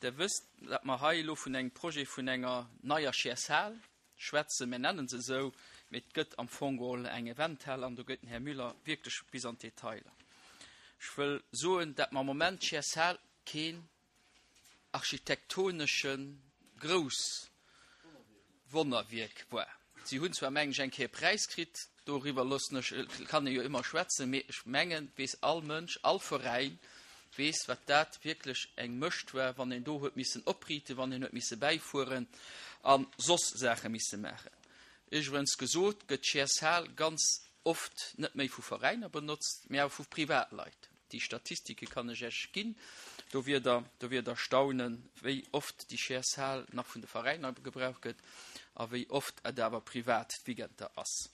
Der wësst, datt mer hei elo vun engem Projet vun enger neier Chairs-Hal schwätzen. Mir nennen se esou, mee et gëtt am Fong geholl eng Eventhal an do gëtt den Här Müller wierklech bis an d'Detailer. Ech wëll soen, datt mer am Moment d'Chairs-Hal keen architektonesche grouss Wonnerwierk war. Si hunn zwar, mengen ech, eng Kéier e Präis kritt, doriwwer loossen ech, kann ee jo ëmmer schwätzen, mee ech mengen, weess all Mënsch, all Veräin weess, wat dat wierklech eng Mëscht war, wann een do huet missen opriiten, wann een huet misse bäifueren a soss Saache misse maachen. Iwwregens gesot gëtt d'Chairs-Hal ganz oft net méi vu Veräiner benotzt, mee awer vu Privatleit. Déi Statistike kann ech Iech ginn. Do wier Der, do wier Der staunen, wéi oft déi Chairs-Hal nach vun de Veräiner gebraucht gëtt a wéi oft et awer privat d'Weekender ass.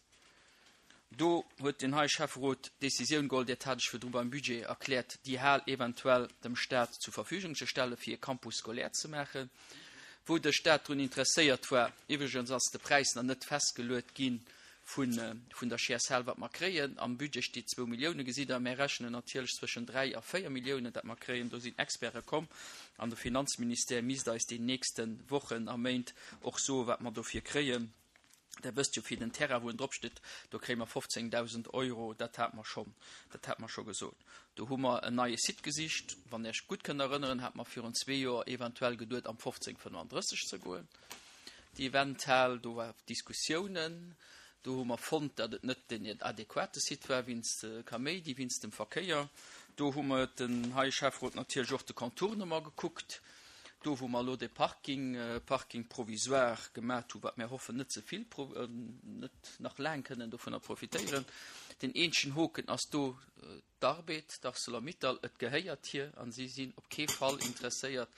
Do huet den hei Schäfferot d'Décisioun geholl, dat hat ech virdru beim Budget erkläert, déi Hal eventuell dem Stat zur Verfügung ze stellen, fir e Campus scolaire ze maachen, wou de Stat drun interesséiert war. Iwwregens ass de Präis nach net festgeluet ginn vun der CSL, wat mer kréien. Am Budget steet zwou Milliounen, gesitt Der. Mär rechnen natierlech zwëschen 3 a 4 Milliounen, dat mer kréien. Do sinn Experte komm an de Finanzministère misst eis déi nächste Wochen a Méint och soen, wat mer dofir kréien. Der wësst jo, fir den Terrain, wou en dropsteet, do kréie mer 15.000 Euro. Dat hate mer schonn, dat hate mer scho gesot. Do hu mer en neie Site gesicht. Wann Der Iech gutt kënnt erënneren, hate mer virun zwee Joer eventuell geduet, am 1535 ze goen. Déi Eventhal, do war Diskussiounen, do hu mer fonnt, datt et net den adequate Site war wéinst Kaméidi, wéinst dem Verkéier. Do hu mer den hei Schäfferot natierlech och de Contournement gekuckt, do wou mer elo de Parking, Parking provisoire gemat hu, wat mir hoffen net ze vill, net nach laang kënnen dovunner profitéieren. Den eenzegen Hoken ass do D'Arbed, d'Arcelor-Mittal, et gehéiert hir an si sinn op kee Fall interesséiert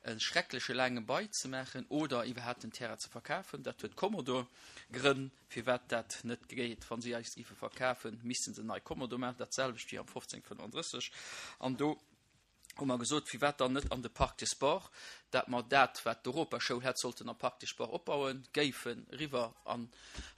e schreckleche laange Bail ze maachen oder iwwerhaapt den Terrain ze verkafen. Dat huet Commodore Grënn, firwat dat net geet. Wa si eis géife verkafen, misste se nei Commodore maachen, dat selwecht wéi am 1535. An do hu mer gesot, firwat dann net an de Parc des Sports, dat mer dat, wat d'Europaschoul hätt sollten am Parc des Sports opbauen, géifen eriwwer an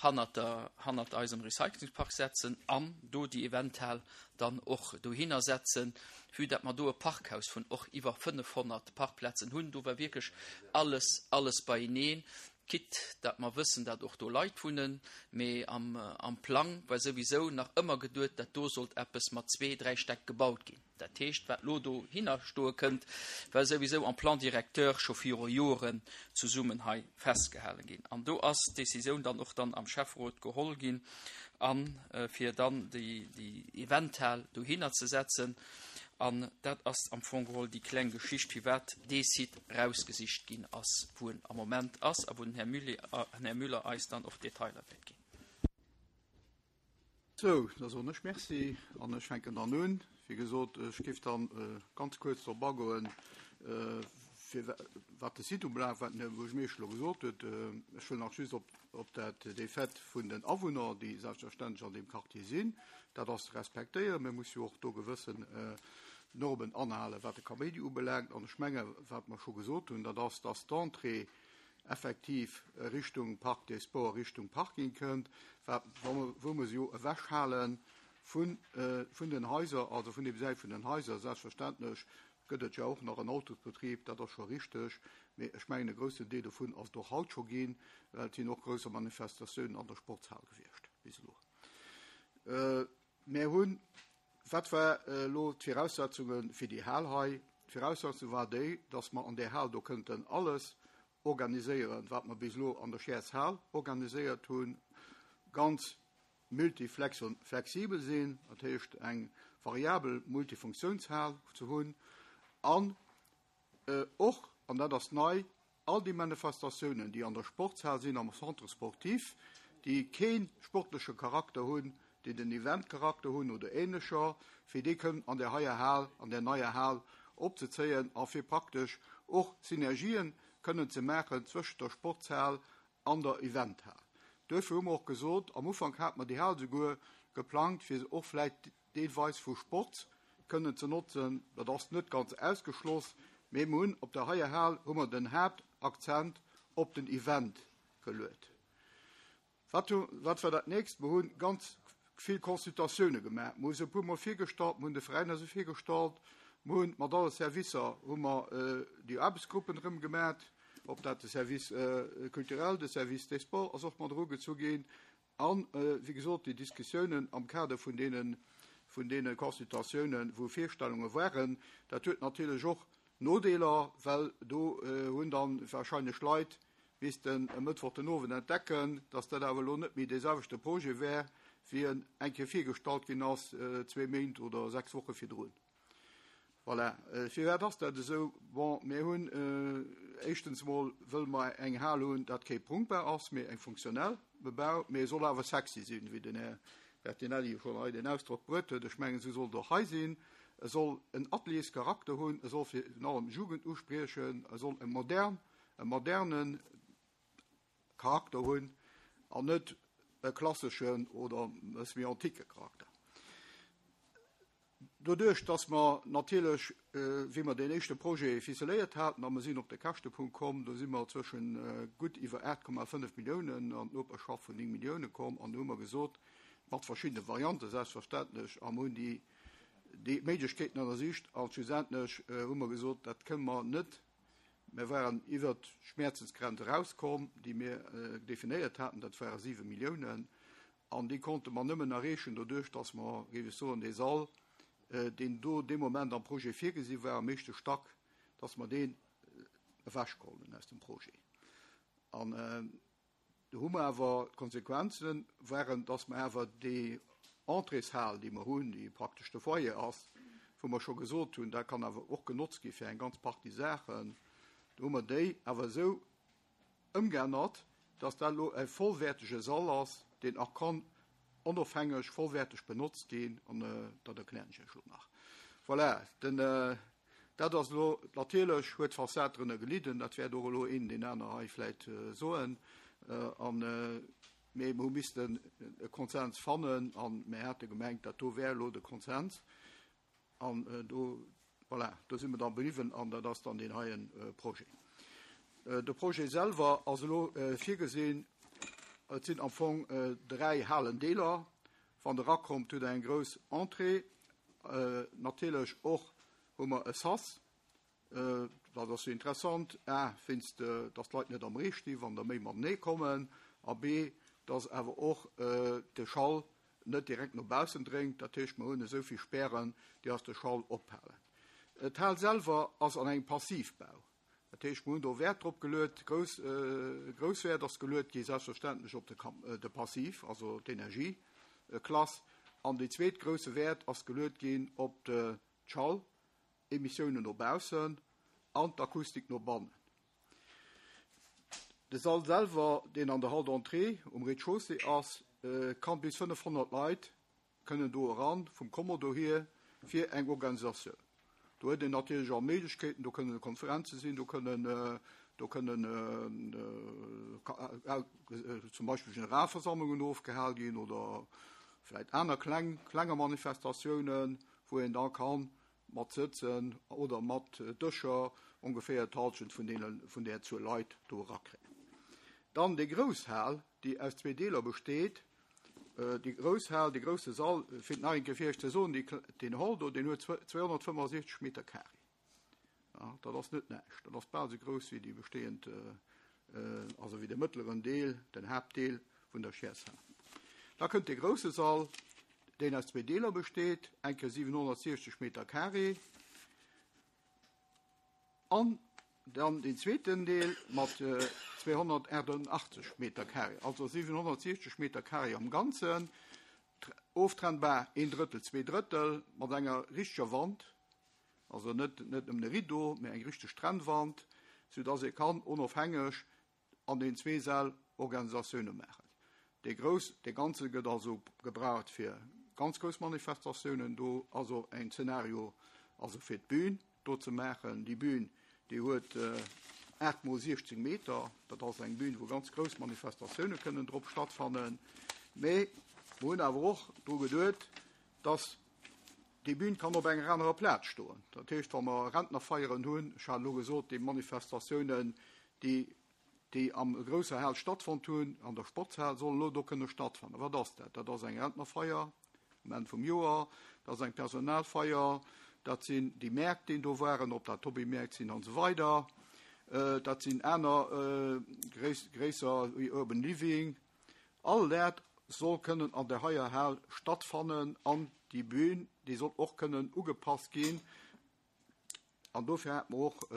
hannert der, hannert eisem Recyclingspark setzen an do déi Eventhal dann och dohinner setzen, vue dat mer do e Parkhaus vun och iwwer 500 Parkplazen hunn. Do war wierklech alles, alles beieneen, quitte dat mer wëssen, dat och do Leit wunnen, mee am, am Plang war souwisou nach ëmmer geduet, dat do sollt eppes mat zwee, dräi Stäck gebaut ginn. Dat heescht, wat elo dohinner stoe kënnt, war souwisou am Plan directeur scho viru Joren zesummen hei festgehalen ginn. An do ass d'Décisioun dann och dann am Schäfferot geholl ginn, a fir dann déi Eventhal dohinner ze setzen. An dat ass am Fong geholl déi kleng Geschicht, firwat dee Site erausgesicht ginn ass, wou en am Moment ass a wou den Här Müller eis dann och d'Detailer wäert ginn. Sou, da soen ech Merci an ech fänken dann un. Wéi gesot, ech géif dann ganz kuerz drop agoen, fir wat de Site ubelaangt, wat den Här Buergermeeschter elo gesot huet. Ech wëll nach just op, op dat, dee Fait vun den Awunner, déi selbstverständlech an deem Quartier sinn, dat ass ze respektéieren. Mir musse jo och do gewëssen Normen anhalen, wat de Kaméidi ubelaangt. An ech menge wat mer scho gesot hunn, dat ass, dass d'Entrée effektiv Richtung Parc des Sports, Richtung Parking kënnt, wat, wou mer se jo ewechhale vun, vun den Haiser, also vun deem Säit vun den Haiser. Selbstverständlech gëtt et jo och nach en Autosbetrib, dat ass scho richteg, mee ech mengen e groussen Deel dovun ass et och haut scho ginn, well et sinn och grousser Manifestatiounen an der Sportshal gewiescht bis elo. Mär hunn, wat war elo d'Viraussetzunge fir déi Hal hei? D'Viraussetzung war déi, dass mer an där Hal do kënnten alles organiséieren, wat mer bis elo an der Chairs-Hal organiséiert hunn, ganz multiflexibel sinn, dat heescht eng variabel Multifunktiounshal ze hunn an och, an dat ass nei, All déi Manifestatiounen, déi an der Sportshal sinn, am Centre sportif, déi kee sportleche Charakter hunn, déi den Eventcharakter hunn oder Ähnlecher, fir déi kënnen an där heier Hal, an där neier Hal opzezéien a fir praktesch och Synergien kënnen ze maachen zwëschent der Sportshal an der Eventhal. Duerfir hu mer och gesot, am Ufank hate mer déi Hal souguer geplangt, fir se och vläicht deelweis vu Sport kënnen ze notzen. Dat ass net ganz ausgeschloss, mee mer hunn op der heier Hal hu mer den Haaptakzent op den Event geluet. Wat hu, wat war dat nächst? Mer hu ganz vill Consultatioune gemaach. Mer hu se e puermol virgestallt, mer hunn de Veräiner se virgestallt. Mer hunn mat alle Servicer hu mer déi Aarbechtsgruppen erëm gemat, ob dat de Service culturel, de Service des sports ass och mat erugezu ginn. An, wéi gesot, déi Diskussiounen am Kader vun deene, vun deene Consultatiounen, wou Virstellunge waren, dat huet natierlech och Nodeeler, well do hunn dann wahrscheinlech Leit missten e Mëttwoch den Owend entdecken, dass dat awer elo net méi dee selwechte Projet wär, wéi en eng Kéier virgestallt ginn ass, zwee Méint oder sechs Woche virdrun. Voilà. Firwat ass dat esou? Bon, mir hunn éischtens emol wëlle mer eng Hal hunn, dat kee Prunkbau ass, mee eng funktionell Bebau, mee e soll awer sexy sinn, wéi den Här Bertinelli schonn hei den Ausdrock bruet huet. Ech mengen, esou soll et och hei sinn. E soll en Atelierscharakter hunn, e soll virun allem d'Jugend uspriechen, e soll e modern, e moderne Charakter hunn an net e klasseschen oder e bësse méi anticke Charakter. Doduerch, dass mer natierlech, wéi mer deen éischte Projet ficeléiert haten a mer sinn op de Käschtepunkt komm, do si mer zwëschen gutt iwwer 8,5 Milliounen an d'Noperschaft vun 9 Millioune komm an do hu mer gesot, mat verschiddene Variante selbstverständlech, a mer hunn déi, déi Méiglechkeeten ënnersicht a schlussendlech hu mer gesot, dat kënne mer net, mer waren iwwert d'Schmäerzensgrenz erauskomm, déi mir definéiert haten, dat ware 7 Milliounen. An déi konnte mer nëmmen erreechen doduerch, dass mer, géif ech soen, dee Sall, deen do dee Moment am Projet virgesi war, am éischte Stack, dass mer deen ewechgeholl hunn aus dem Projet. An do hu mer awer, d'Konsequenze waren, dass mer awer déi Entréeshal, déi mer hunn, déi praktesch de Foyer ass, wou mer scho gesot hunn, dat kann awer och genotzt gi fir eng ganz Partie Saachen, do hu mer déi awer esou ëmgeännert, dass dat elo e vollwäertege Sall ass, deen och kann onofhängeg vollwäerteg benotzt ginn, an dat erklären ech Iech elo nach. Voilà, den, dat ass elo, natierlech huet d'Fassad drënner gelidden, dat wäert och elo een deen aner hei vläicht soen, an, mee mer hu missten e Konsens fannen, a mir hate gemengt, dat do wär elo de Konsens. An do, voilà, do si mer da bliwwen an dat ass dann deen heien Projet. De Projet selwer ass elo virgesinn, et sinn am Fong dräi Halendeeler. Wann Der erakommt, hutt Der eng grouss Entrée. Natierlech och hu mer e Sas, Dat ass jo interessant, a wéinst datt d'Leit net am Ree sti wann der méi matenee kommen, a b datt awer och de Schall net direkt no baussen dréngt. Dat heescht, mer hunn esou vill Spären, déi ass de Schall ophalen. D'Hal selwer ass an engem Passivbau. Dat heescht, mer hunn do Wäert drop geluet, grouss, grouss Wäert ass geluet gi selbstverständlech op de, de Passiv, also d'Energieklass, an dee zweet grousse Wäert ass geluet ginn op d'Schall. Emissiounen no baussen an d'Akustik no bannen. De Sall selwer, deen an der Hall d'entrée um Rez-de-chaussée ass, kann bis 500 Leit kënnen do eran, vum Kommodo hier, fir eng Organisatioun. Do huet een natierlech all Méiglechkeeten, do kënnen Konferenze sinn, do kënnen, do kënnen zum Beispill Generalversammlungen ofgehal ginn oder vläicht aner kleng, klenger Manifestatiounen, wou een da kann mat Sëtzen oder mat Dëscher ongeféier d'Halschent vun deene, vun där Zuel Leit do erakréien. Dann déi grouss Hal, déi aus zwee Deeler besteet. Déi grouss Hal, dee grousse Sall, fir et nach eng Kéier fir Iech ze soen, déi, deen Hall do, deen huet 265 Meter carré. Ja, dat ass net näischt. Dat ass bal esou grouss wéi déi bestehend, also wéi de mëttleren Deel, den Haaptdeel vun der Chiers-Hal. Da kënnt dee grousse Sall, deen aus zwee Deeler besteet, eng Kéier 760 Meter carré an dann deen zweeten Deel mat 288 Meter carré, also 760 Meter carré am Ganzen, oftrennbar een Drëttel, zwee Drëttel, mat enger richteger Wand, Also net net nëmmen e Rideau, mä eng richteg Trennwand, soudass ee kann onofhängeg an den zwee Säll Organisatioune maachen. Dee grouss, dee ganze gëtt also gebraucht fir ganz grouss Manifestatiounen. Do ass och en Zeenario also fir d'Bün do ze maachen. Déi Bün, déi huet 8 mol 16 Meter. Dat ass eng Bün, wou ganz grouss Manifestatioune kënnen drop stattfannen. Mä mer hunn awer och dru geduet, dass Déi Bühn kann op enger anerer Plaz stoen. Dat heescht, wa mer Rentnerfeieren hunn, ech hat elo gesot, déi Manifestatiounen, déi, déi am grousser Hal stattfonnt hunn, an der Sportshal, sollen elo do kënne stattfannen. Wat ass dat? Dat ass eng Rentnerfeier um Enn vum Joer, dat ass eng Personalfeier. Dat sinn déi Mäert, déi do waren, ob dat Hobbymärkt sinn an esou weider. Dat sinn aner gréisser wéi Urban Living. All dat soll kënnen an där heier Hal stattfannen an déi Bühn, déi soll och kënnen ugepasst ginn. An dofir hate mer och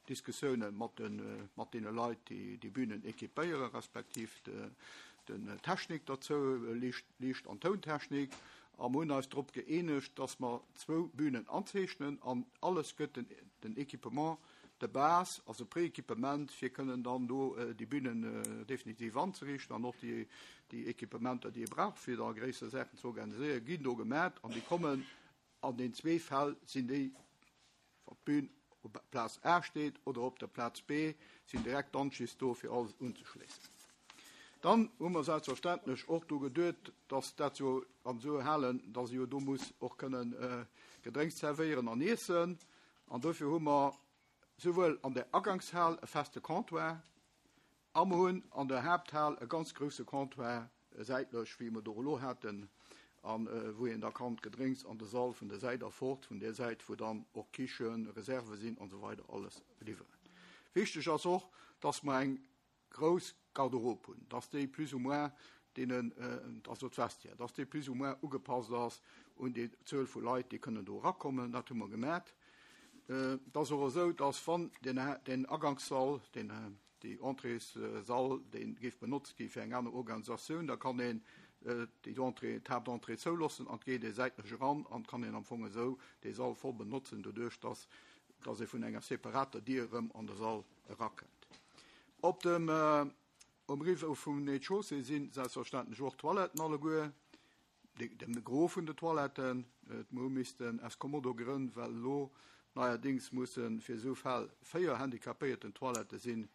Diskussioune mat deene Leit, déi déi Bünen équipéieren, respektiv den Technik derzou, Liicht an Tountechnik. A mer hunn eis drop gëeenegt, dass mer zwou Bünen anzeechnen an alles gëtt den Équipement de base, also Prééquipement, fir kënnen dann do déi Bünen definitiv anzeriichten an och déi Équipementer, déi ee brauch, fir da gréisser Saachen ze organiséieren, ginn do gemat an déi kommen An den zwee Fäll sinn déi, wann d'Bün op Plaz A steet oder op der Plaz B, sinn direkt d'Anschlëss do, fir alles unzeschléissen. Dann hu mer selbstverständlech och dru geduet, dass dat jo an esou Halen, dass ee jo do muss och kënnen Gedrénks zerwéieren an iessen. An dofir hu mer souwuel an der Agangshal e feste Comptoir, A mer hunn an der Haapthal e ganz grousse Comptoir säitlech, wéi mer do elo haten, a wou een da kann d'Gedrénks an de Sall vun der Säit erfort, vun där Säit, wou dann och Kichen, Reserve sinn an esou weider alles liwweren. Wichteg ass och, dass mer eng grouss Garderobe hunn, dass déi plus ou moins deenen, also d'Vestiaire, dass déi plus ou moins ugepasst ass un déi Zuel vu Leit, déi kënnen do erakommen. Dat hu mer gemat. Et ass och esou, dass wann deen Agangssall, deen, Déi Entréessall, dee géif benotzt gi fir eng aner Organisatioun, da kann een déi Entrée, d'Haaptentrée zouloossen an et geet ee säitlech eran an kann een am Fong esou dee Sall voll benotzen, doduerch dass dass ee vun enger separater Dier erëm an de Sall erakënnt. Op dem, um Rive vum Rez-de-chaussée si selbstverständlech och d'Toiletten alleguer. De Gros vun de Toiletten, et hu missten aus Kommodo-Grënn, well elo neierdéngs musse fir esou Fäll 4 handicapéierten Toilettë sinn,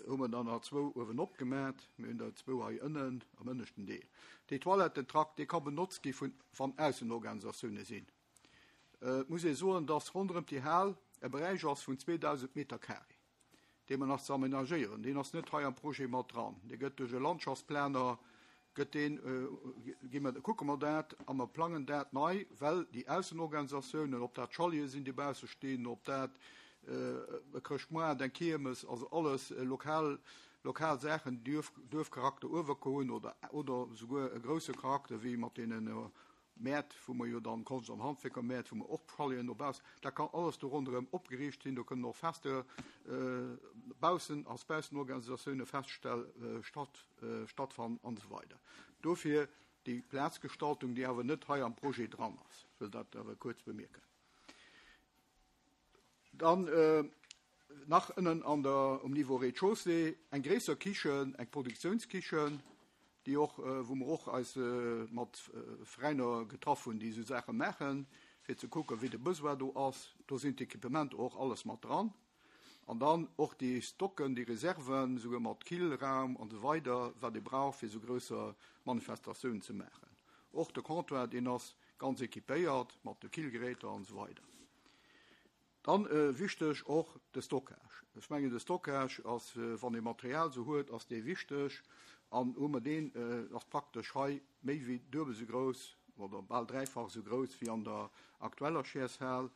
hu mer der nach zwou uewenop gemat. Mir hunn der zwou hei ënnen am ënneschten Deel. Dee Toilettentrakt, dee ka benotzt gi vun, wann Aussenorganisatioune sinn. Et muss ee soen, dass ronderëm déi Hal e Beräich ass vun 2.000 Meter carré. dee mer nach ze amenagéieren, deen ass net hei am Projet mat dran, dee gëtt duerch e Landschaftsplaner, gëtt deen, gi mer, kucke mer dat a mer plangen dat nei, well déi Aussenorganisatiounen, ob dat Chaleten sinn, déi bausse stinn, ob dat e Chrëschtmoart, eng Kiermes, also alles lokal, lokal Saachen, déi Duerfcharakter uewerko hunn oder, oder souguer e grousse Charakter wéi mat deenen Mäert, wou mer jo dann Konscht an Handwierkermäert, wou mer och Chaleten dobaussen, dat kann alles do ronderëm opgeriicht sinn, do kënnen och Fester baussen, als Baussenorganisatioune feststell, statt, stattfannen an esou weider. Dofir déi Plazgestaltung, déi awer net hei am Projet dran ass. Ech wëll dat awer kuerz bemierken. Dann nach ënnen an der, um Niveau Rez-de-chaussée eng gréisser Kichen, eng Produktiounskichen, déi och, wou mer och eis mat Veräiner getraff hunn, déi esou Saache maachen, fir ze kucken, wéi de Besoin do ass. Do sinn d'Equipementer och alles mat dran. An dann och déi Stocken, déi Reserven, esouguer mat Killraum an esou weider, wat ee brauch, fir esou grousser Manifestatiounen ze maachen. Och de Comptoir, deen ass ganz équipéiert mat de Killgeräter an esou weider. Dann wichteg och de Stockage. Ech mengen de Stockage ass, wann ee Material esou huet, ass dee wichteg. An hu mer deen, ass praktesch hei méi wéi duebel esou grouss oder bal dräifach esou grouss wéi an der aktueller Chairsehal.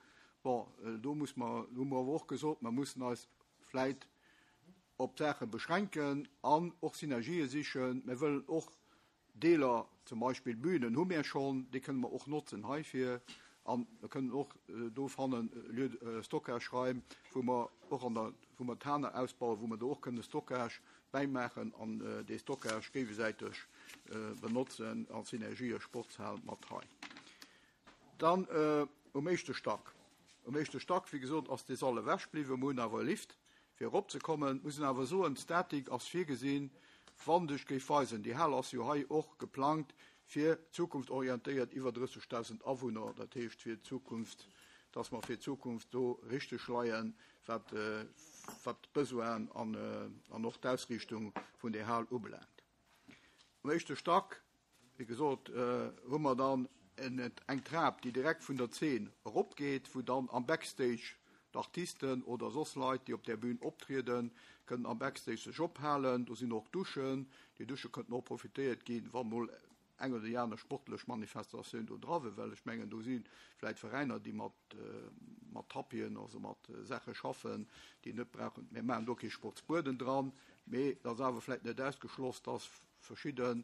Bon, do muss mer, hu mer awer och gesot, mer mussen eis vläit op Saache beschränken an och Synergië sichen. Mir wëllen och Deeler, zum Beispill Bünen hu mir schonn, déi kënne mer och notzen heifir. A mir kënnen och do fannen Lieu de Stockage-Raim, wou mer och an der, wou mer d'Haner ausbauen, wou mer do och kënne Stockage bäimaachen an dee Stockage géigesäiteg benotzen als Synergie Sportshal mat hei. Dann um éischte Stack. Um éischte Stack, wéi gesot, ass dee Sall ewech bliwwen. Mer hunn awer e Lift, fir eropzekommen. Muss een awer soen, d'Statik ass virgesinn, wann sech géif weisen, déi Hal ass jo hei och geplangt fir zukunftsorientéiert iwwer 30.000 Awunner, dat heescht fir d'Zukunft, dass mer fir d'Zukunft do richteg leien, wat d'Besoinen an och d'Ausriichtung vun där Hal ubelaangt. Um éischte Stack Wéi gesot, hu mer dann eng Trap, déi direkt vun der Zeen eropgeet, wou dann am Backstage d'Artisten oder soss Leit, déi op där Bühn optrieden, kënnen am Backstage sech ophalen. Do sinn och Duschen. Déi Dusche kënnten och profitéiert ginn, wa mol. eng oder déi aner sportlech Manifestatioun do dra wier, well ech mengen, do si vläicht Veräiner, déi mat, mat Tapien, also mat Saache schaffen, déi net brauchen. Mir maachen do kee Sportsbueden dran, mee et ass awer vläicht net ausgeschloss, dass verschidde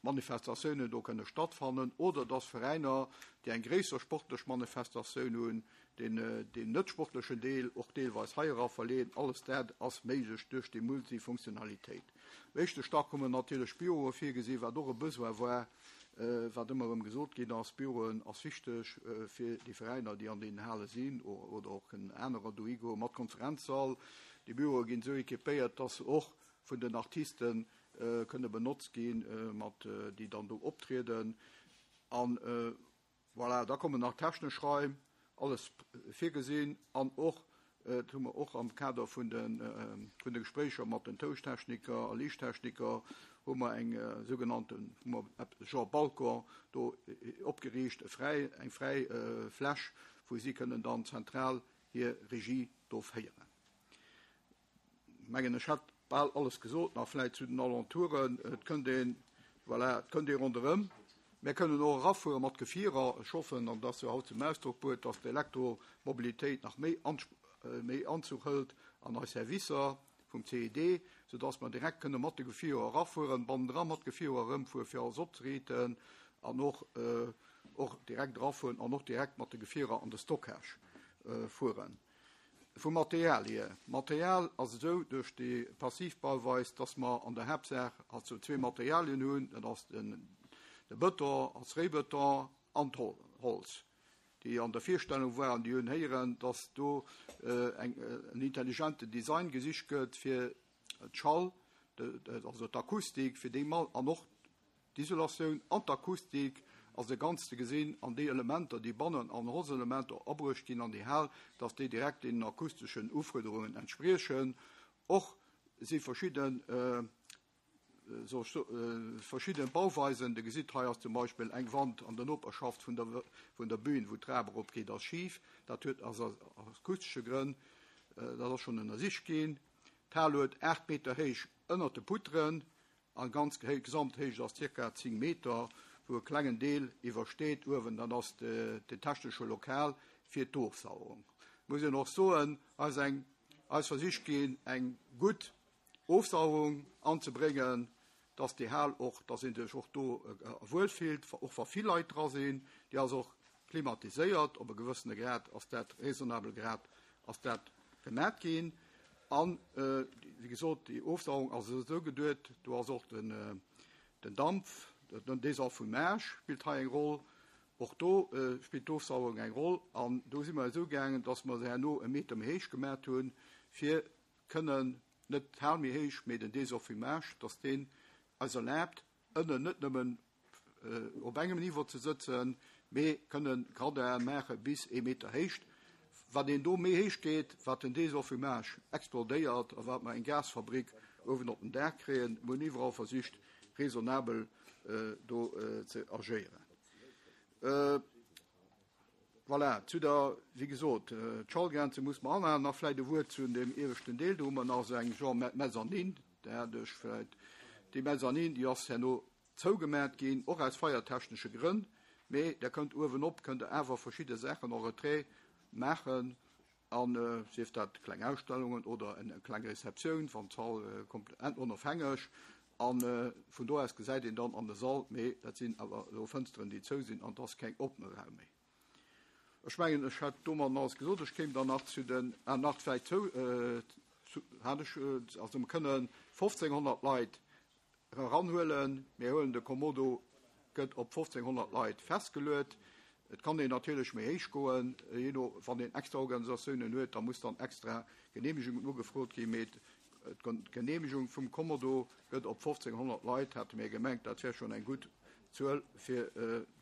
Manifestatiounen do kënne stattfannen oder dass Veräiner, déi eng gréisser sportlech Manifestatioun hunn, deen deen net sportlechen Deel och deelweis hei era verleeën. Alles dat ass méiglech duerch déi Multifunktionalitéit. Am éischte Stack hu mer natierlech Büroe virgesinn, wat och e Besoin war, wat ëmmer erëm gesot ginn ass, Büroen ass wichteg fir déi Veräiner, déi an deenen Hale sinn oder och kënnen anerer dohi goen, mat Konferenzsall. Déi Büroe ginn esou équipéiert, dass se och vun den Artisten kënne benotzt ginn, mat déi dann do optrieden. An voilà, da kommen nach technesch Raim, alles virgesinn. An och, dat hu mer och am Kader vun de vun de Gespréicher mat den Touchtechniker a Liichttechniker, hu mer eng sougenannten, hu mer eppes genre Balcon do opgeriicht, e fräi, eng fräi Fläch, wou si kënnen dann zentral hir Regie do féieren. Mengen ech hätt bal alles gesot, nach vläit zu den Alentouren. Et kënnt een, voilà, et kënnt ee ronderëm. Mir kënnen och erafuere mat Gefierer. Ech hoffen, an dat ass jo haut zum Ausdrock bruet, dass d'Elektromobilitéit nach méi méi Anzuch hëlt an eis Servicer vum CED, soudass mer direkt kënne mat de Gefierer erafueren, bannendra mat Gefierer erëmfueren, fir alles opzeriiten an och och direkt erafueren an och direkt mat de Gefierer an de Stockage fueren. Vum Material hier, D'Material ass esou duerch déi Passivbauweis, dass mer an der Haaptsaach also zwee Materialien hunn, dat ass den de Bëton als Réibeton an d'Holz. Déi an der Virstellung waren, déi hunn héieren, dass do eng en intelligenten Design gesicht gëtt fir d'Schall, also d'Akustik, fir déi an och D'Isolatioun an d'Akustik ass e Ganzt ze gesinn an déi Elementer, déi bannen an Holzelementer abruecht ginn an déi Hal, dass déi direkt deenen akusteschen Ufuerderungen entspriechen. Och si verschidden, soll ech soen, verschidden Bauweisen, Dir gesitt, hei ass zum Beispill eng Wand an der Noperschaft vun der, vun der Bühn, wou d'Trap eropgeet, ass schif. Dat huet, ass aus akustesche Grënn, dat ass schonn ënnersicht ginn. D'Hal huet 8 Meter héich ënnert de Poutrën. An ganz Gesamthéicht ass ca. 10 Meter, wou e klengen Deel iwwersteet. Uewen dann ass den technesche Lokal fir d'Ofsauerung. Muss een och soen, ass eng eis versicht ginn eng gutt Ofsauerung anzebréngen, dass déi Hal och, dass ee sech och do wuel fillt, och wa vill Leit dra sinn. Déi ass och klimatiséiert, op e gewëssene Grad ass dat, raisonnabel Grad ass dat gemat ginn. An, wéi gesot, déi Ofsauerung ass esou geduet, do ass och den Dampf, den Désenfumage spillt hei eng Roll, och do spillt d'Ofsauerung eng Roll. An do si mer esou gaangen, dass mer se herno e Meter méi héich gemat hunn, fir kënnen, net d'Hal méi héich, mee den Désenfumage, dass deen eis erlaabt, ënnen net nëmmen op engem Niveau ze sëtzen, mee kënne Gradin maache bis ee Meter Héicht. Wat een do méi héich geet, wat den Désenfumage explodéiert a wat mer eng Gasfabrik uewen op den Daach kréien. Mir hunn iwwerall versicht, raisonnabel do ze agéieren. Voilà, zu der, wéi gesot, d'Schallgrenze muss mer anhalen. Nach vläicht e Wuert zu deem ieweschten Deel. Do hu mer nach esou eng genre Mezzanine, där hat ech vläicht, déi Mezzanine, déi ass herno zougemat ginn, och aus feiertechnesche Grënn, mee Der kënnt uewenop, kënnt Der awer verschidde Saachen en retrait maachen, an sief dat kleng Ausstellungen oder eng kleng Receptioun, wann d'Sall komplett onofhängeg, a vun do aus gesäit een dann an de Sall, mee dat sinn awer elo Fënsteren, déi zou sinn, an et ass keng oppene Raum méi. Ech mengen, ech hätt domadden alles gesot. Ech kéim dann nach zu den, ah, nach vläicht zou, hat ech, also mer kënnen 1.500 Leit Eranhuelen. Mir huelen de Kommodo gëtt op 1.500 Leit festgeluet. Et kann een natierlech méi héich goen, jee no, wann een extra Organisatiounen huet, da muss dann extra Genehmegungen ugefrot ginn. Mee d'Genehmegung vum Kommodo gëtt op 1.500 Leit, hate mir gemengt, dat wär schonn eng gutt Zuel, fir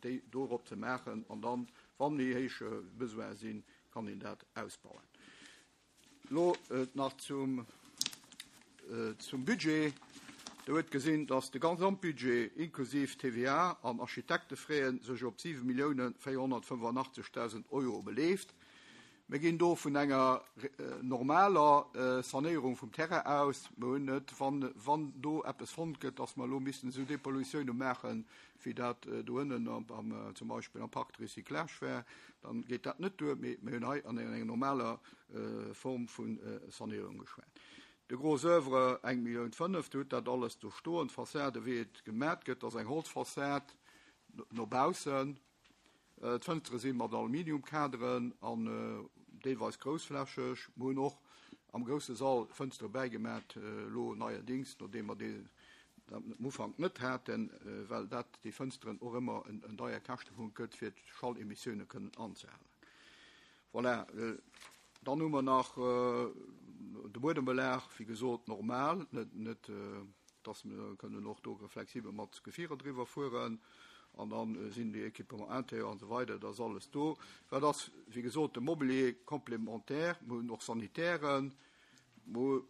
déi dorop ze maachen. An dann, wa méi héich Besoine sinn, kann een dat ausbauen. Elo nach zum Budget. Der huet gesinn, dass de Gesamtbudget inklusiv TVA an Architektefraien sech op 7.485.000 Euro beleeft. Mir ginn do vun enger normaler Sanéierung vum Terrain aus. Mir hunn net, wann, wann do eppes fonnt gëtt, dass mer elo missten esou Dépollutionne maachen, wéi dat do ënnen am, zum Beispill am Parc de recyclage war, dann geet dat net duer. Mee mir hunn hei an enger normaler Form vu Sanéierung geschwat. De Gros oeuvre, eng Millioun 5, Dir hutt dat alles do stoen. D'Fassade, wéi et gemat gëtt, ass eng Holzfassad no baussen. D'Fënstere si mat Aluminiumkaderen an deelweis groussflächeg. Mer hunn och am grousse Sall Fënstere bäigemat, elo neierdings, nodeem mer déi am Ufank net haten, well dat déi Fënsteren och ëmmer en deier Käschtepunkt gëtt, fir d'Schallemissioune kënnen anzehalen. Voilà, dann hu mer nach de Buedembelag, wéi gesot, normal, net, net dass mer kënnen och do flexibel mat Gefierer driwwer fueren. An dann sinn déi Équipements intérieurs an esou weider, dat ass alles do. Wat ass, wéi gesot, de Mobilier complémentaire, mer hunn och Sanitären, mer,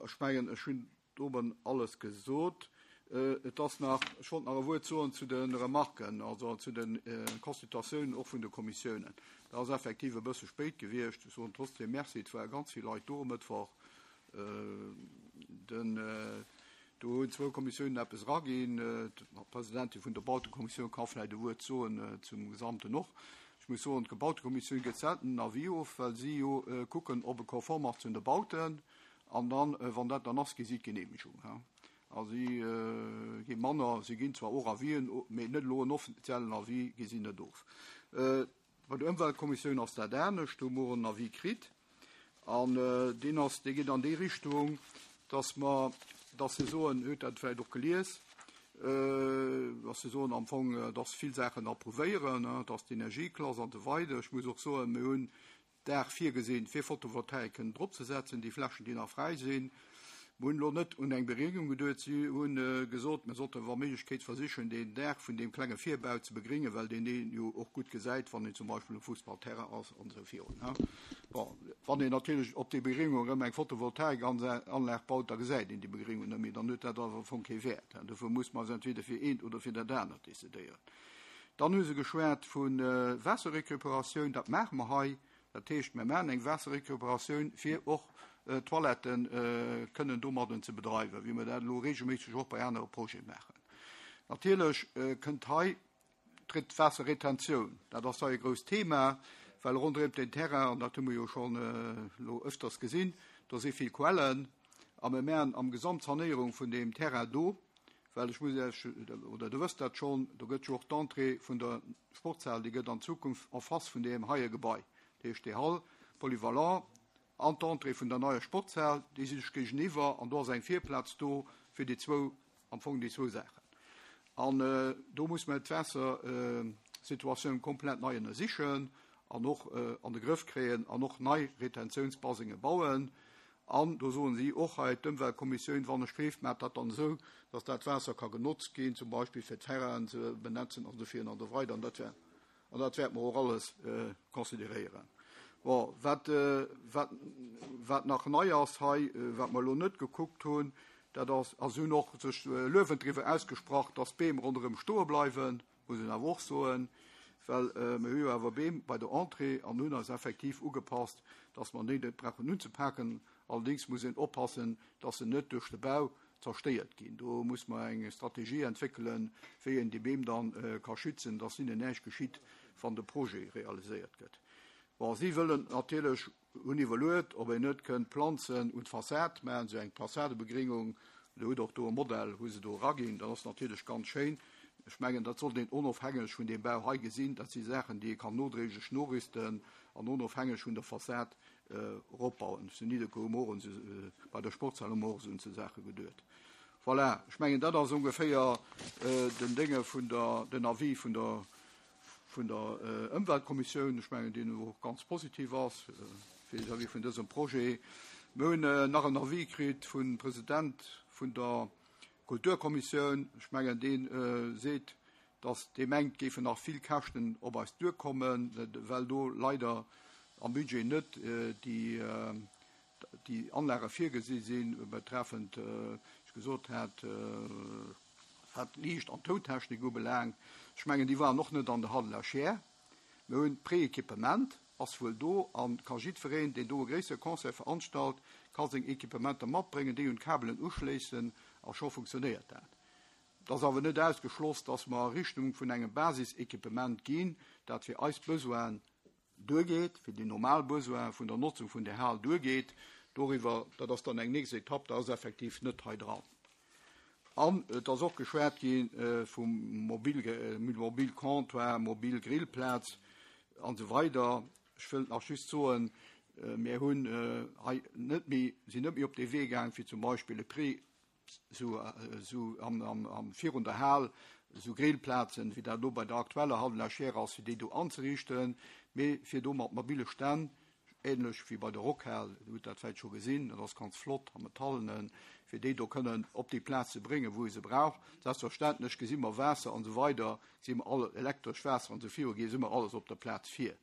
ech mengen, ech hunn Doben alles gesot. Et ass nach, ech wollt nach e Wuert soen zu de Remarken, also zu de Consultatiounen och vun de Kommissiounen. Dat ass effektiv e bësse spéit gewiescht. Ech soen trotzdem Merci, et ware ganz vill Leit do e Mëttwoch. Den, do hunn zwou Kommissiounen eppes eraginn. D'Presidentin vun der Bautekommissioun ka vläicht e Wuert soen zum Gesamten och. Ech muss soen, d'Gebautekommissioun gëtt selten en Avis of, well si jo kucken, ob e konform ass zu de Bauten. An dann, wann dat dann ass, gi si d'Genehmegung. A si gi manner, si ginn zwar och Avisen, mee net elo en offiziellen Avis gi si net of. Bei der Ëmweltkommissioun ass dat anescht, do hu mer och en Avis kritt an deen ass, dee geet an déi Richtung, dass mer, dass se soen, huet dat vläicht och gelies, dass se soen am Fong, dass vill Saachen approuvéieren, dass d'Energieklass an esou weider. Ech muss och soen, mir hunn Daach virgesinn, fir Photovoltaik kënnen drop ze setzen, déi Flächen, déi nach fräi sinn. Mer hunn elo net un eng Beréngung geduet. Si hu gesot, mer sollte wa Méiglechkeet versichen, deen Daach vun deem klenge Virbau ze begréngen, well deen een jo och gutt gesäit, wann een zum Beispill um Fussballterrain ass an esou virun. Bon, wann een natierlech op déi Begréngung erëm eng Photovoltaikanlag baut, da gesäit een déi Begréngung net méi, dann huet dat awer am Fong kee Wäert. Dofir muss mer eis entweder fir eent oder fir dat anert decidéieren. Dann hu se geschwat vu Waasserrecuperatioun. Dat maache mer hei. Dat heescht, mer maachen eng Waasserrecuperatioun, fir och d'Toilette kënnen domadden ze bedreiwen, wéi mer dat elo regelméisseg och bei anere Projete maachen. Natierlech kënnt hei d'Waasserretentioun. Dat ass hei e grousst Thema, well ronderëm den Terrain, an dat hu mer jo schonn elo öfters gesinn, do si vill Quellen. A mer maachen am Gesamt d'Sanéierung vun deem Terrain do, Well ech muss Iech, oder Der wësst dat schonn, do gëtt jo och d'Entrée vun der Sportshal, déi gëtt an Zukunft en face vun deem heie Gebai, dat heescht déi Hall polyvalent an d'Entrée vun der neier Sportshal, déi si sech géigeniwwer an do ass eng Virplaz do fir déi zwou, am Fong déi zwou Saachen. An do muss mer d'Waassersituatioun komplett nei ënnersichen an och an de Grëff kréien an och nei Retentiounsbasengen bauen. An do soen si och hei, d'Ëmweltkommissioun, wann ech gleeft, maacht dat dann esou, datt dat Waasser ka genotzt ginn, zum Beispill fir d'Terrainen ze benetzen an esou virun an esou weider. An dat wär, an dat wäerte mer och alles consideréieren. Bon, wat, wat, wat nach nei ass hei, wat mer elo net gekuckt hunn, dat ass, a si hunn och sech luewend driwwer ausgesprach, datt d'Beem ronderëm stoe bleiwen. muss een awer och soen, well mir hu jo awer Beem bei der Entrée an hunn eis effektiv ugepasst, dass mer déi net brauchen unzepaken. Allerdéngs muss een oppassen, dass se net duerch de Bau zerstéiert ginn. Do muss mer eng Strategie entwéckelen, wéi een déi Beem dann ka schützen, dass hinnen näischt geschitt, wann de Projet realiséiert gëtt. Bon, si wëllen natierlech Hunn iwwerluet, ob een net kënnt Planzen un d'Fassad maachen, esou eng Fassadebegringung. Der hutt och do e Modell, hu se do eraginn. Dat ass natierlech ganz schéin. Ech mengen, dat sollt een onofhängeg vun deem Bau hei gesinn. Dat si Saachen, déi ee kann nodréiglech norüsten an onofhängeg vun der Fassad eropbauen. Zu Nidderkuer hu mer och un esou, bei der Sportshal hu mer och esou un esou Saache geduet. Voilà, ech mengen, dat ass ongeféier den Dénge vun der, den Avis vun der vun der Ëmweltkommissioun, ech mengen, deen och ganz positiv ass vis-à-vis vun dësem Projet. Mir hunn nach en Avis kritt vum President vun der Kulturkommissioun. Ech mengen, dee seet, datt dee mengt, géifen nach vill Käschten op eis duerkommen, well do leider am Budget net déi déi Anlage virgesi sinn, betreffend, wéi ech gesot hat, wat d'Liicht an d'Tountechnik ubelaangt. Ech mengen, déi waren och net an der Halle la Chaire. Mir hunn d'Prééquipement. ass wuel do an ka jiddwereen, deen do e gréissere Concert veranstalt, ka seng Equipementer matbréngen, déi un d'Kabelen uschléissen a scho funktionéiert dat. Et ass awer net ausgeschloss, dass mer a Richtung vun engem Basisequipement ginn, dat fir eis Besoinen duergeet, fir déi normal Besoine vun der Notzung vun där Hal duergeet. Doriwwer, dat ass dann eng nächst Etapp, dat ass effektiv net hei dran. An et ass och geschwat gi vum mobile Comptoir, mobil Grillplaz an esou weider. Ech wëllt nach just soen, mir hunn hei net méi, sinn net méi op dee Wee gaang, fir zum Beispill e Prix sou sou am am am virun der Hal sou Grillplazen, wéi dat elo bei der aktueller Hall de la Chaire ass, fir déi do anzeriichten, mee fir do mat mobile Stänn, ähnlech wéi bei der Rockhal, Dir hutt dat vläicht scho gesinn, dat ass ganz flott am Metallenen, fir déi do kënnen op déi Plaz ze bréngen, wou ee se brauch. Selbstverständlech gesi mer Waasser an esou weider, gesi mer all elektresch Waasser an esou viru, gesi mer alles op der Plaz vir.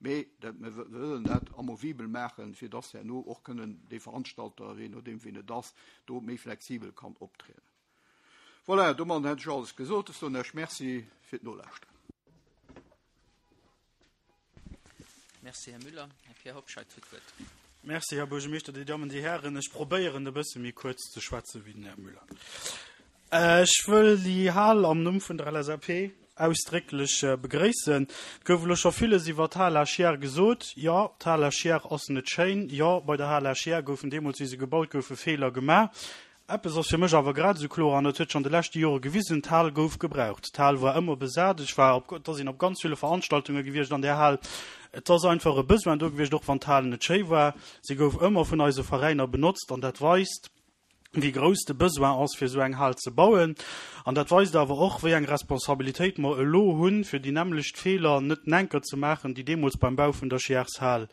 Mee dat, mir wëllen dat amovibel maachen, fir dass herno och kënnen dee Veranstalter, jee nodeem wien et ass, do méi flexibel kann optrieden. Voilà, domadden hätt ech alles gesot. Ech soen Iech Merci fir d'Nolauschteren. Merci, Här Müller. Här Pierre Hobscheit huet d'Wuert. Merci, Här Buergermeeschter, Dir Dammen, Dir Hären. Ech probéieren e bësse méi kuerz ze schwätze wéi den Här Müller. Ech wëll déi Hal am Numm vun der LSAP ausdrécklech begréissen. Et gouf elo scho villes iwwer d'Hal à Chiers gesot. Jo, d'Hal à Chiers ass net schéin. Jo, bei der Hal à Chiers goufen deemools, wéi se gebaut goufen, Feeler gemaach. Eppes ass fir mech awer grad esou kloer, an dat huet sech an de leschte Jore gewisen, D'Hal gouf gebraucht. D'Hal war ëmmer besat. Ech war op, et ass een op ganz ville Veranstaltunge gewiescht an där Hal. Et ass einfach e Besoin do gewiescht, och wann d'Hal net schéi war. Si gouf ëmmer vun eise Veräiner benotzt an dat weist, wéi grouss de Besoin ass, fir esou eng Hal ze bauen. An dat weist awer och, wéi eng Responsabilitéit mer elo hunn, fir déi nämmlecht Feeler net enker ze maachen, déi deemools beim Bau vun der Chiers-Hal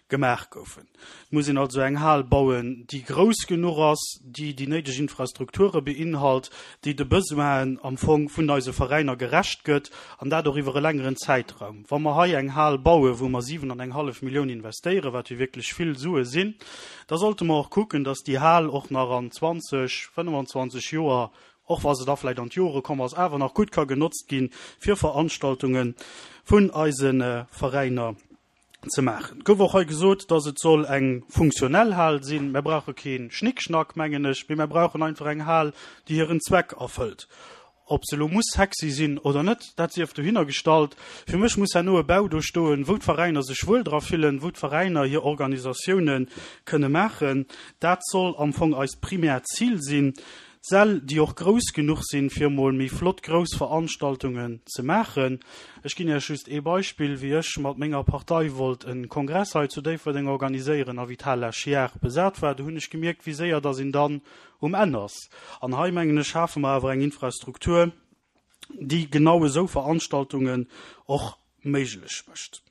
gemaach goufen. Et muss een also eng Hal bauen, déi grouss genuch ass, déi déi néideg Infrastrukture beinhalt, déi de Besoinen am Fong vun eise Veräiner gerecht gëtt, an dat och iwwer e längeren Zäitraum. Wa mer hei eng Hal bauen, wou mer 7 an eng hallef Millioun investéieren, wat jo wierklech vill Sue sinn, da sollte mer och kucken, dass déi Hal och nach an 20, 25 Joer, och wa se da vläicht an d'Jore komm ass, awer nach gutt ka genotzt gi fir Veranstaltunge vun eise Veräiner. ze maachen. Et gouf och hei gesot, dass et soll eng funktionell Hal sinn. Mer brauche kee Schnickschnack, mengen ech, mee mer brauchen einfach eng Hal, déi hiren Zweck erfëllt. Ob se elo muss sexy sinn oder net, dat sief dohinner gestallt. Fir mech muss herno e Bau do stoen, wou d'Veräiner sech wuel dra fillen, wou d'Veräiner hir Organisatioune kënne maachen. Dat soll am Fong eist primäert Zil sinn. Säll, déi och grouss genuch sinn, fir emol méi flott grouss Veranstaltungen ze maachen. Ech ginn Iech just ee Beispill, Wéi ech mat menger Partei wollt e Kongress hei zu Déifferdeng organiséieren a wéi d'Hal La Chiare besat war, do hunn ech gemierkt, wéi séier dass een dann um Enn ass. An hei, mengen ech, schafe mer awer eng Infrastruktur, déi genau esou Veranstaltungen och méiglech mécht.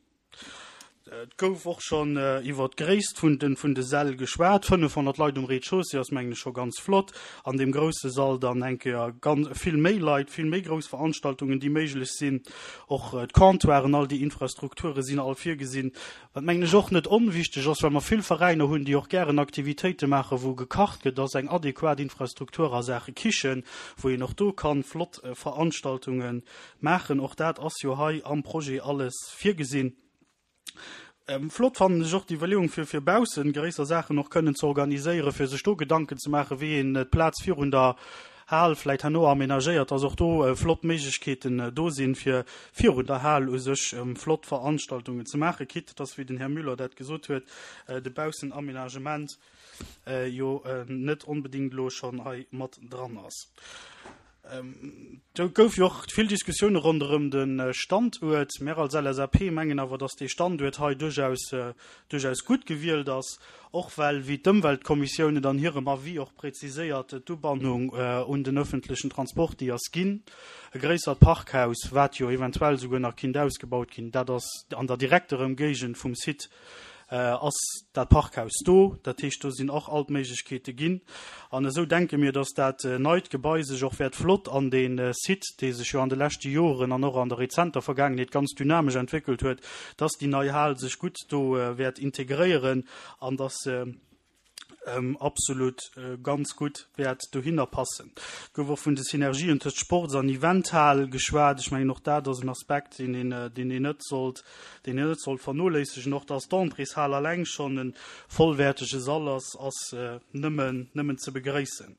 Et gouf och schonn iwwer d'Gréisst vun de vun de Säll geschwat. 500 Leit um Rez-de-chaussée ass, mengen ech, scho ganz flott. An deem grousse Sall dann eng Kéier ganz vill méi Leit, vill méi grouss Veranstaltungen, déi méiglech sinn. Och d'Comptoiren, all déi Infrastrukture sinn all virgesinn. Wat, mengen ech, och net onwichteg ass, well mer vill Veräiner hunn, déi och gären Aktivitéite maachen, wou gekacht gëtt, ass eng adequat Infrastruktur a Saache Kichen, wou een och do kann flott Veranstaltunge Maachen. Och dat ass jo hei am Projet alles virgesinn. Flott fannen ech och d'Iwwerleeung, fir fir baussen gréisser Saachen och kënnen ze organiséieren, fir sech do Gedanken ze maachen, wéi een d'Plaz virun der Hal vläit herno amenagéiert, dass och do flott Méiglechkeeten do sinn, fir virun der Hal u sech flott Veranstaltungen ze maachen, quitte dass, wéi den Här Müller dat gesot huet, de Baussenaménagement jo net onbedéngt elo schonn hei mat dran ass. Do gouf jo och vill Diskussioune ronderëm de Standuert. Mär als LSAP mengen awer, datt dee Standuert hei duerchaus, duerchaus gutt gewielt ass, och well, wéi d'Ëmweltkommissioun et an hirem Avis och präziséiert, d'Ubannung un den öffentlechen Transport, déi ass ginn. E gréissert Parkhaus, wat jo eventuell souguer nach kinnt ausgebaut ginn, dat ass an der direkter Ëmgéigend vum Site ass dat Parkhaus do. Dat heescht, do sinn och all d'Méiglechkeete ginn. An esou denke mir, dass dat neit Gebai sech och wäert flott an dee Site, dee sech jo an de leschte Joren an och an der rezenter Vergaangenheet ganz dynamesch entwéckelt huet, dass déi nei Hal sech gutt do wäert integréieren an dass se. absolut ganz gutt wäert dohinner passen. Et gouf och vun de Synergien tëscht Sports an Eventhal geschwat. Ech mengen, och dat ass en Aspekt, deen een, deen een net sollt, deen een net sollt vernoléissegen. Och dass d'Entréeshal alleng schonn e vollwäertege Sall ass, ass nëmmen, nëmmen ze begréissen.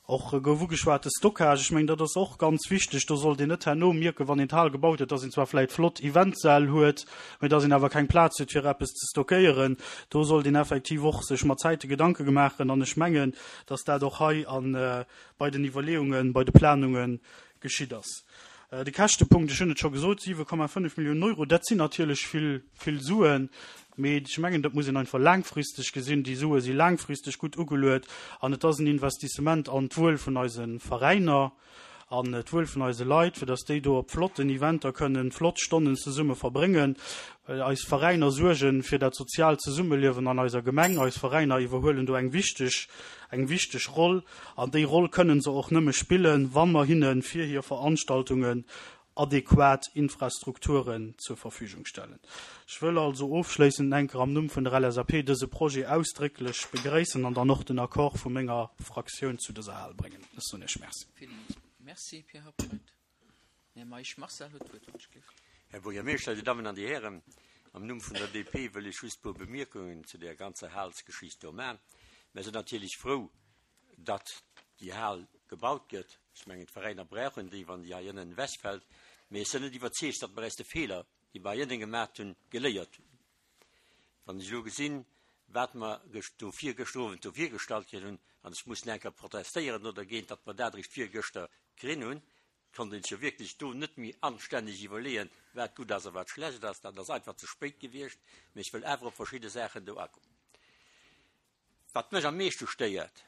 Och gouf ugeschwat de Stockage. Ech mengen, dat ass och ganz wichteg. Do sollt een net herno mierken, wann een d'Hal gebaut huet, dass een zwar vläicht flott Eventsäll huet, mä dass een awer keng Plaz huet, fir eppes ze stockéieren. Do sollt een effektiv och sech mat Zäite Gedanke gemaachen. An ech mengen, dass dat och hei a bei den Iwwerleeungen, bei de Planunge geschitt ass. De Käschtepunkt, ech hunn et scho gesot, 7,5 Milliounen Euro, dat sinn natierlech vill, vill Suen, mee ech mengen, dat muss een einfach laangfristeg gesinn. Déi Sue si laangfristeg gutt ugeluet an et ass en Investissement an d'Wuel vun eise Veräiner, an d'Wuel vun eise Leit, fir datt déi do op flotten Eventer kënnen flott Stonnen zesumme verbréngen. Eis Veräiner suerge fir dat soziaalt Zesummeliewen an eiser Gemeng. Eis Veräiner iwwerhuelen do eng wichteg, eng wichteg Roll. An déi Roll kënnen se och nëmme spillen, wa mer hinne fir hir Veranstaltungen adequat Infrastrukturen zur Verfügung stellen. Ech wëll also ofschléissend enker am Numm vun der LSAP dëse Projet ausdrécklech begréissen an dann och den Accord vu menger Fraktioun zu dëser Hal bréngen. Ech soen Iech Merci. Villmools Merci, Pierre Habscheid. Här Meisch Marcel huet d'Wuert, wann ech gleef. Här Buergermeeschter, Dir Dammen an Dir Hären, am Numm vun der DP wëll ech just e puer Bemierkungen zu där ganzer Halsgeschicht do man. Mär sinn natierlech frou, datt déi Hal gebaut gëtt. Ech mengen, d'Veräiner brauchen déi, wann déi hei ënnen ewechfält. Mee ech sinn net iwwerzeegt, datt mer aus de Feeler, déi mer hei ënnen gemat hunn, geléiert hunn. Wann ech elo gesinn, wat mer gëscht do virgëschter Owend do virgestallt kritt hunn, an ech muss nach eng Kéier protestéieren do dergéint, datt mer dat eréischt virgëschter krinn hunn, konnt een sech jo wierklech do net méi anstänneg iwwerleeën, wat gutt ass a wat schlecht ass. Dat ass einfach ze spéit gewiescht. Mee ech wëll awer op verschidde Saachen do agoen. Wat mech am meeschte stéiert,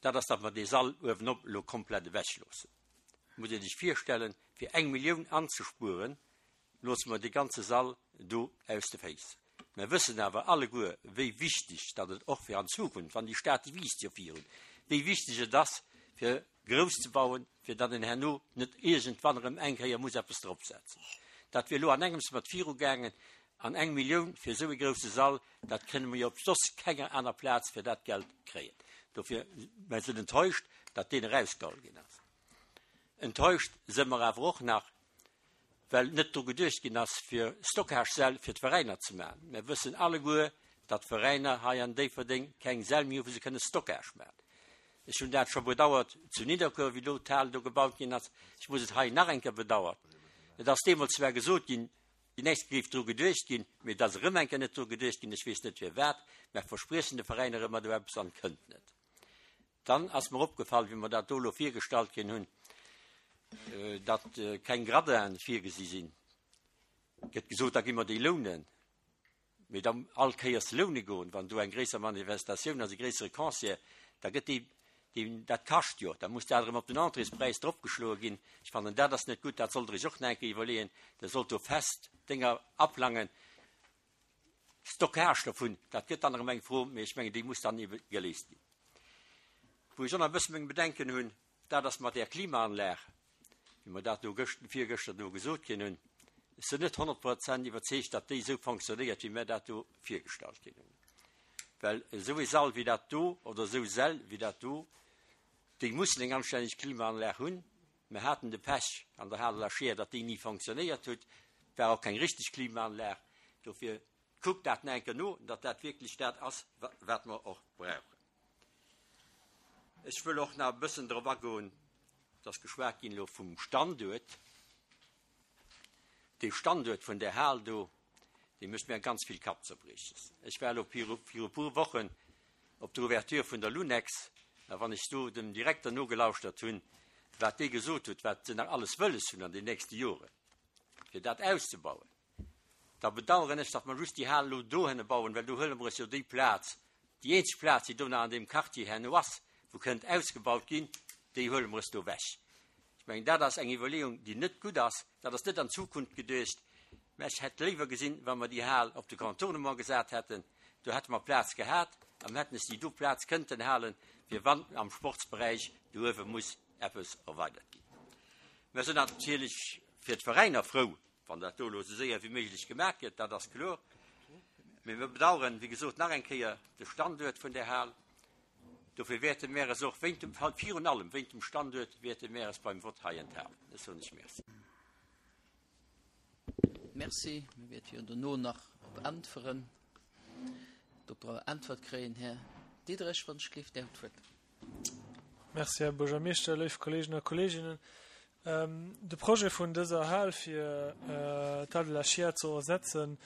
dat ass, datt mer dee Sall uewenop elo komplett ewechloossen. Et muss ee sech virstellen, fir eng Millioun anzespueren, loosse mer dee ganze Sall do aus de Féiss. Mer wëssen awer alleguer, wéi wichteg datt et och fir an Zukunft, wann déi Stad, déi wiisst jo virun, wéi wichteg et ass, fir grouss ze bauen, fir datt een herno net iergendwann erëm eng Kéier muss eppes dropsetzen. Dat wier elo an engems mat virugaangen. An eng Millioun fir esou ee grousse Sall, dat kënne mer jo op soss kenger aner Plaz fir dat Geld kréien. Dofir, mer sinn enttäuscht, datt deen erausgeholl ginn ass. Enttäuscht si mer awer och nach, well net dru geduecht ginn ass, fir Stockagesäll fir d'Veräiner ze maachen. Mir wëssen alleguer, datt d'Veräiner hei an Déifferdeng keng Säll méi hu wou se kënne Stockage maachen. Ech hunn dat scho bedauert zu Nidderkuer, wéi do d'Hal do gebaut ginn ass. Ech muss et hei nach eng Kéier bedauern. Et ass deemools zwar gesot ginn, déi nächst géif dru geduecht ginn, mee et ass erëm eng Kéier net dru geduecht ginn. Ech weess net firwat. Mer verspriechen de Veräiner ëmmer do eppes an et kënnt net. Dann ass mer opgefall, wéi mer dat do elo virgestallt kinn hunn, datt keng Gradinen virgesi sinn. Gëtt gesot, da gi mer déi lounen. Mee da all Kéiers loune goen, wann do eng gréisser Manifestatioun ass, e gréissere Concert, da gëtt déi, déi, dat kascht jo, da muss dat erëm op den Entréespräis dropgeschloe ginn. Ech fannen, dat ass net gutt, dat sollt Der Iech och nach eng Kéier iwwerleeën. Der sollt do fest Dénger aplangen. Stockage dovun, dat gëtt dann erëm eng Fro, mee ech mengen, déi muss dann ebe geléist ginn. Wou ech och nach e bësse meng Bedenken hunn, dat ass mat där Klimaanlag, wéi mer dat do gëscht, virgëschter do gesot kinn hunn. Ech sinn net 100 Prozent iwwerzeegt, datt déi esou fonctionnéiert, wéi mer dat do virgestallt kinn hunn. Well esou ee Sall wéi dat do oder esou Säll wéi dat do, déi mussen eng anstänneg Klimaanlag hunn. Mer haten de Pech an der Hale la Scheer, datt déi ni fonctionnéiert huet. War och keng richteg Klimaanlag. Dofir kuckt dat nach eng Kéier no, datt dat wierklech dat ass, wat mer och brauchen. Ech wëll och nach e bëssen drop agoen, et ass geschwat ginn elo vum Standuert. Dee Standuert vun där Hal do, dee mécht mir ganz vill Kappzerbrieches. Ech war elo viru e puer Wochen op der Ouverture vun der Lunex, a wann ech do dem Direkter nogelauschtert hunn, wat dee gesot huet, wat se nach alles wëlles hunn an den nächste Joren, fir dat auszebauen, da bedauern ech, datt mer just déi Hal elo dohinne bauen, well do huele mer eis jo déi Plaz, déi eenzeg Plaz, déi do nach an deem Quartier herno ass, wou kënnt ausgebaut ginn, déi huele mer eis do ewech. Ech mengen, dat ass eng Iwwerleeung, déi net gutt ass. Dat ass net an d'Zukunft geduecht. Mä ech hätt léiwer gesinn, wa mer déi Hal op de Contournement gesat hätten. Do hätte mer Plaz gehat a mer hätten es déi do Plaz kënnten halen, fir wann am Sportsberäich do uewe muss eppes erweidert ginn. Mer sinn natierlech fir d'Veräiner frou, wann dat do elo esou séier wéi méiglech gemaach gëtt, dat ass kloer. Mee mir bedauern, wéi gesot, nach eng Kéier de Standuert vun där Hal. Dofir wäerte mär eis och wéint dem, virun allem wéint dem Standuert, wäerte mär eis beim Vott hei enthalen. Ech soen lech Merci. Merci. Mir wäerte jo dono nach op Äntweren, op Äntwert kréien. Här Diderich, wann ech gleef, Dir hutt d'Wuert. Merci, Här Buergermeeschter, léif Kolleegen a Kolleeginnen. De Projet vun dëser Hal fir d'Hal de la Chiers ze ersetzen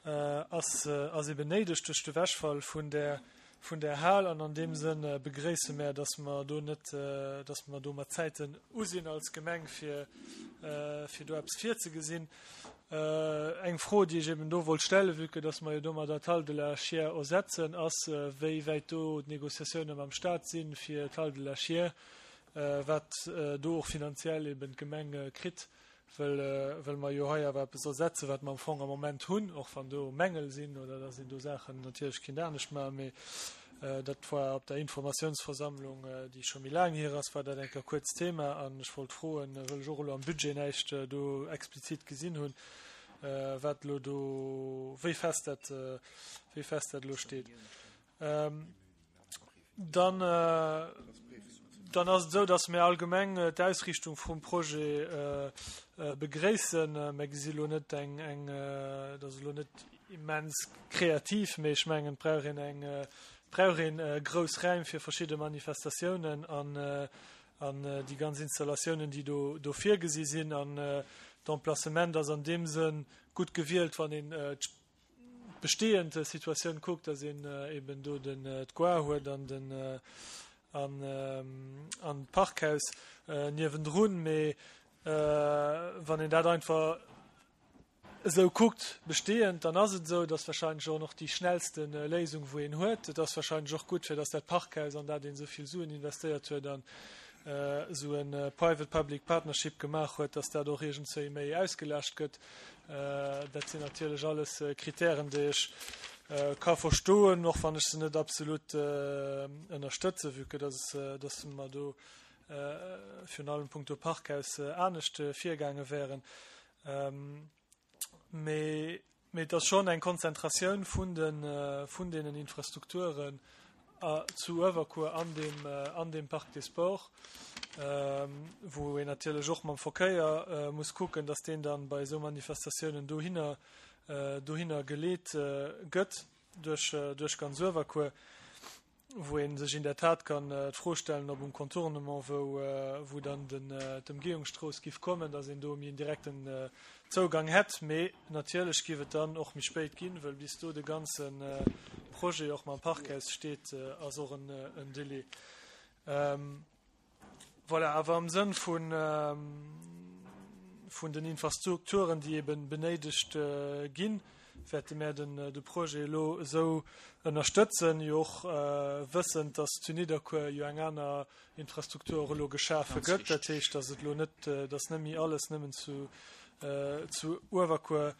ass ass eben néideg duerch de Wechfall vun där vun där Hal an an deem Sënn begréisse mär, datt mer do net, datt mer do mat Zäiten u sinn als Gemeng fir fir do eppes virzegesinn. Eng Fro, déi ech eben do wollt stellen, vue que datt mer jo domadder d'Hal de la Chiers ersetzen, ass, wéi wäit do d'Négociatioune mam Stat sinn fir d'Hal de la Chiers wat do och finanziell eben d'Gemeng kritt, well, well mer jo hei awer eppes ersetzen, wat mer am Fong am Moment hunn, och wann do Mängel sinn oder dass een do Saachen natierlech kinnt anescht maachen, mee dat war op der Informatiounsversammlung, déi scho méi laang hier ass, war dat eng Kéier kuerz Thema an ech wollt froen, well ech och elo am Budget näischt do explizit gesinn hunn, wat elo do, wéi fest dat, wéi fest dat elo steet. Dann, dann ass et esou, datt mir allgemeng d'Ausriichtung vum Projet begréissen. Mir gesi elo net eng, eng, dat ass elo net immens kreativ, mee ech mengen, et brauch een eng, et brauch een grouss Räim fir verschidde Manifestatiounen an, an déi ganz Installatiounen, déi do, do virgesi sinn. An d'Emplacement ass an deem Sënn gutt gewielt, wann een d'bestehend Situatioun kuckt, dass een eben do den d'Goar huet an den an an d'Parkhaus niewendrun, mee wann een dat einfach esou kuckt bestehend, dann ass et esou, dass wahrscheinlech och nach déi schnellste Léisung wou een huet. Et ass wahrscheinlech och gutt fir dass dat Parkhaus an dat een esou vill Suen investéiert huet an esou e Private Public Partnership gemaach huet, dass dat och iergendzwéi méi ausgelascht gëtt. Dat sinn natierlech alles Kritären, déi ech ka verstoen, och wann ech se net absolut ënnerstëtzen, vue que dass, dass mer do virun allem punkto Parkhaus anescht virgaange wären. Mee et ass schonn eng Konzentratioun vun de, vun deenen Infrastrukturen zu Uewerkuer an deem, an deem Parc des Sports, wou een natierlech och mam Verkéier muss kucken, dass deen dann bei esou Manifestatiounen dohinner, dohinner geleet gëtt duerch, duerch ganz Uewerkuer. wou ee sech in der Tat kann d'Fro stellen, ob um Contournement, wou, wou dann den, d'Ëmgehungsstrooss giff kommen, dass een do méi en direkten Zougang hätt. Mee natierlech giff et dann och méi spéit ginn, wëll bis do de ganze Projet och mam Parkhaus steet, ass och en, en Délai. Voilà, awer am Sënn vun, vun den Infrastrukturen, déi eben benéidegt ginn, wäerte mär den, de Projet elo esou ënnerstëtzen, jo och wëssend, dass zu Nidderkuer jo eng aner Infrastruktur och elo geschafe gëtt. Dat heescht, dass et elo net, dass net méi alles nëmmen zu, zu Uewerkuer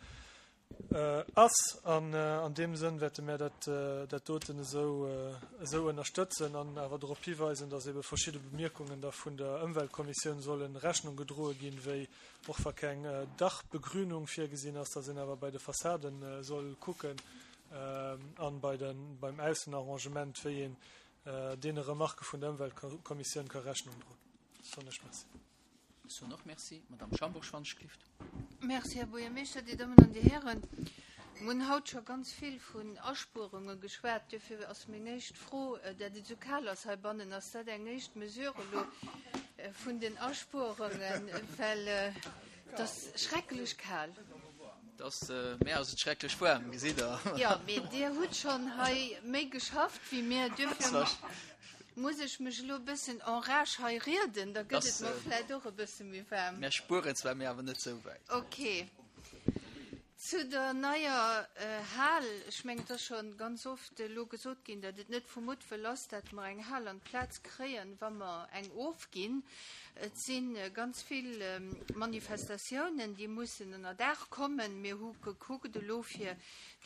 Ass. An an deem Sënn wäerte mär dat, dat doten esou, esou ënnerstëtzen an awer drop hiweisen, dass ebe verschidde Bemierkungen da vun der Ëmweltkommissioun solle Rechnung gedroe ginn, wéi och wa keng Dachbegrünung virgesinn ass, dass een awer bei de Fassade soll kucken an bei de, beim Aussenarrangement, wéi een deene Remarquë vun der Ëmweltkommissioun ka Rechnung droen. Soen ech Merci. Ech soen och Merci. Madame Schambourg-Schwanzschlift. Merci, Här Buergermeeschter, Dir Dammen an Dir Hären. Mir hunn haut scho ganz vill vun Aspuerunge geschwat. Duerfir ass meng éischt Fro, dat et esou kal ass heibannen, ass dat eng éischt Mesure elo vun den Aspuerungen, well et ass schrecklech kal. Et ass, mär ass et schrecklech waarm, gesitt Der. Jo, mee Dir hutt schonn hei méi geschafft wéi mir. Duerfir Muss ech mech elo e bëssen en rage hei rieden, da gëtt et mer vläit och e bësse méi waarm. Mär spueren zwar, mee awer net sou wäit. Ok. Zu der neier Hal, ech mengen, et ass scho ganz oft elo gesot ginn, datt et net vu Muttwëll ass, datt mer eng Hal an d'Plaz kréien, wa mer eng ofginn. Et si ganz vill Manifestatiounen, déi mussen ënnerdaach kommen. Mir hu gekuckt elo fir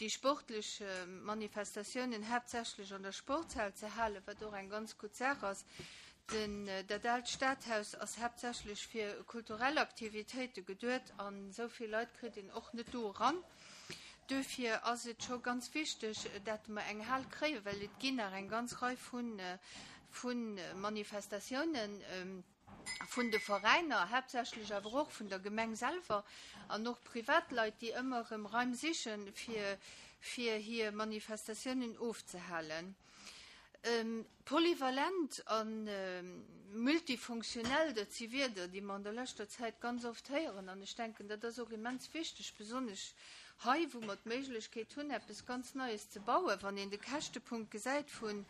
déi sportlech Manifestatiounen haaptsächlech an der Sportshal ze halen, wat och eng ganz gutt Saach ass. Den, dat aalt Stadhaus ass haaptsächlech fir kulturell Aktivitéite geduet an esou vill Leit kritt een och net do eran. Duerfir ass et scho ganz wichteg, dat mer eng Hal kréien, well et ginn nach eng ganz Rei vu Manifestatiounen vun de Veräiner, haaptsächlech awer och vun der Gemeng selwer an och Privatleit, déi ëmmer erëm Raim sichen, fir hir Manifestatiounen ofzehalen. Polyvalent a multifunktionell, dat si Wierder, déi mer an der leschter Zäit ganz oft héieren. An ech denken, dat ass och immens wichteg, besonnesch hei, wou mer d'Méiglechkeet hunn, eppes ganz Neies ze bauen. Wann een de Käschtepunkt gesäit vun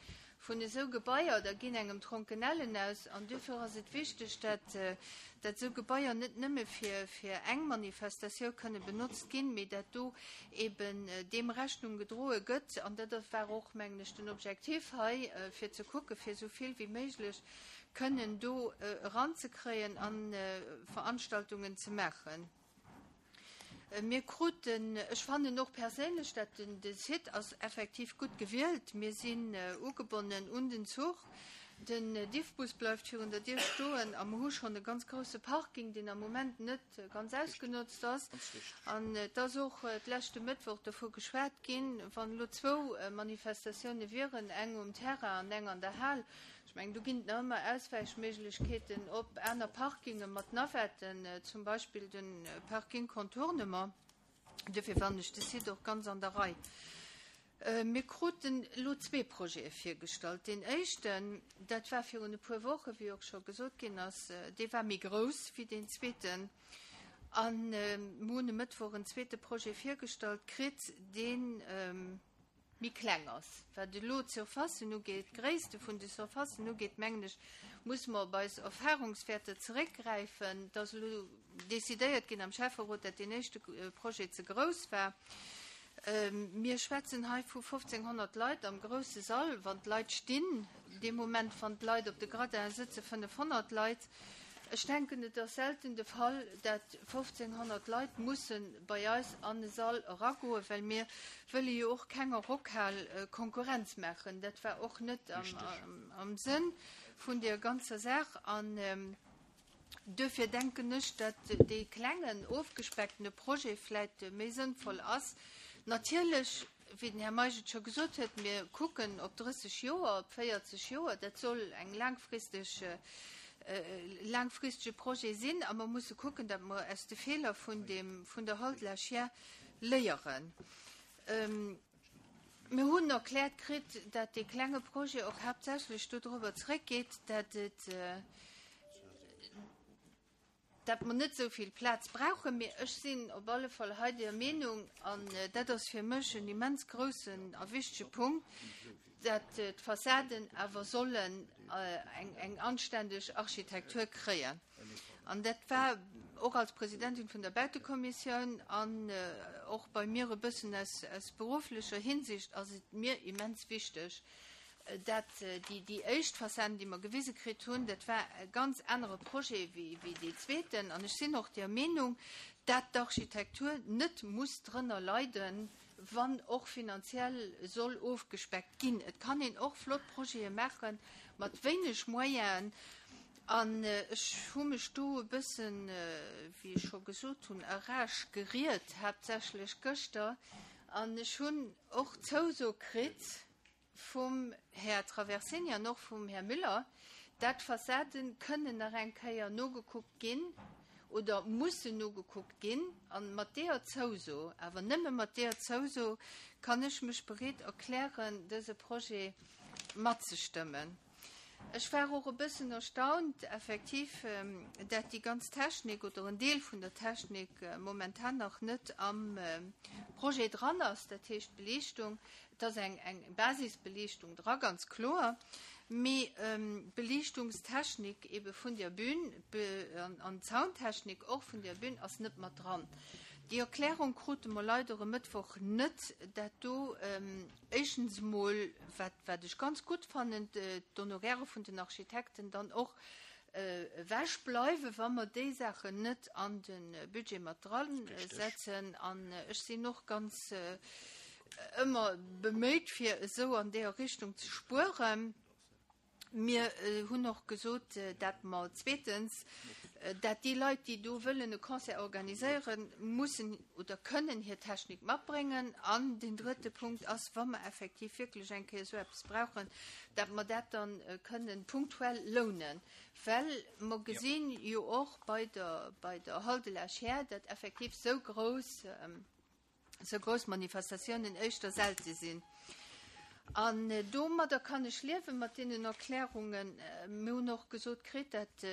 Vun esou Gebaier, da ginn engem d'Ronkenellen aus. An duerfir ass et wichteg, dat dat esou Gebaier net nëmme fir fir eng Manifestatiou kënne benotzt ginn, mee dat do eben deem Rechnung gedroe gëtt. An dat war och, mengen ech, den Objektiv hei, fir ze kucke fir esou vill wéi méiglech kënnen do eranzekréien a Veranstaltungen ze maachen. Mir kruten, ech fannen och perséinlech, dat den de Site ass effektiv gutt gewielt. Mir sinn ugebonnen un den Zuch. Den Diffbus bleift virun der Dier stoen a mer hu schonn e ganz grousse Parking, deen am Moment net ganz ausgenotzt ass. An et ass och d'leschte Mëttwoch dovu geschwat ginn, wann elo zwou Manifestatioune wieren, eng um Terrain an eng an der Hal, Ech mengen, do ginn et nach ëmmer Auswäichméiglechkeeten op aner Parkinge mat Navetten, zum Beispill de Parking Contournement. Duerfir fannen ech de Site och ganz an der Rei. Mir kruten elo zwee Projete virgestallt. Deen éischten, dat war virun e puer Wochen, wéi och scho gesot ginn ass, dee war méi grouss wéi deen zweeten. A mir hunn e Mëttwoch en zweete Projet virgestallt kritt, deen, méi kleng ass. Wat elo d'Surfacen ugeet, d'Gréisste vun de Surfacen ugeet, mengen ech, musse mer op eis Erfahrungswäerter zeréckgräifen. Et ass elo decidéiert ginn am Schäfferot, dat deen éischte Projet ze grouss war. Mir schwätzen hei vu 1.500 Leit am grousse Sall, wann d'Leit stinn. Dee Moment, wann d'Leit op de Gradinen sëtzen, 500 Leit. Ech denken, et ass selten de Fall, dat 1.500 Leit musse bei eis an e Sall eragoen, well mir wëlle jo och kenger Rockhal Konkurrenz maachen. Dat war och net am Sënn vun deer ganzer Saach. An duerfir denken ech, dat dee klengen, ofgespecktene Projet vläicht méi sënnvoll ass. Natierlech Wéi den Här Meisch et scho gesot huet, mir kucken op 30 Joer, op 40 Joer. Dat soll eng laangfristeg, laangfristege Projet sinn a mer musse kucken, datt mer aus de Feeler vun deem, vun der Hall de la Chiers léieren. Mir hunn erkläert kritt, datt dee klenge Projet och haaptsächlech dodrobber zréckgeet, datt et, dat mer net esou vill Plaz brauchen, mee ech sinn op alle Fall hei der Meenung, an dat ass fir mech en immens groussen a wichtege Punkt, dat d'Fassaden awer sollen eng anständeg Architektur kréien. An dat war och als Presidentin vun der Bautekommissioun an och bei mir e bëssen aus berufflecher Hinsicht ass et mir immens wichteg, Dat, déi, déi éischt Fassade, déi mer gewise kritt hunn, dat war e ganz anere Projet wéi, wéi dee zweeten. An ech sinn och der Meenung, dat d'Architektur net muss drënner leiden, wann och finanziell soll ofgespeckt ginn. Et kann een och flott Projete maache mat wéineg Moyenen. An ech hu mech do e bëssen, wéi ech scho gesot hunn, a Rage geriet, haaptsächlech gëschter. An ech hunn och d'Zouso kritt, vum Här Traversini an och vum Här Müller, dat d'Fassaden kënnen nach eng Kéier nogekuckt ginn oder mussen nogekuckt ginn. A mat deeër Zouso, awer nëmme mat deeër Zouso, kann ech mech bereet erklären, dëse Projet matzestëmmen. Ech war och e bëssen erstaunt, effektiv, dat déi ganz Technik oder en Deel vun der Technik momentan nach net am Projet dran ass, dat heescht d'Beliichtung. Et ass eng eng Basisbeliichtung dra, ganz kloer, mee d'Beliichtungstechnik ebe vun der Bühn an d'Soundtechnik och vun der Bühn ass net mat dran. Déi Erklärung krute mer leider e Mëttwoch net, dat do Éischtens emol, wat, wat ech ganz gutt fannen, d'Honoraire vun den Architekten dann och ewechbleiwen, wa mer déi Saachen net an de Budget mat drasetzen. An ech sinn och ganz ëmmer beméit, fir esou an deeër Richtung ze spueren. Mir hunn och gesot, dat mer zweetens, dat déi Leit, déi do wëllen e Concert organiséieren, mussen oder kënnen hir Technik matbréngen. An deen drëtte Punkt ass, wa mer effektiv wierklech eng Kéier esou eppes brauchen, dat mer dat dann kënnen punktuell lounen. Well mer gesinn jo och bei der, bei der Hall de la Chaire, dat effektiv esou grouss, esou grouss Manifestatiounen éischter selte sinn. An domadder kann ech liewen, mat deenen Erklärungen. Mir hunn och gesot kritt, dat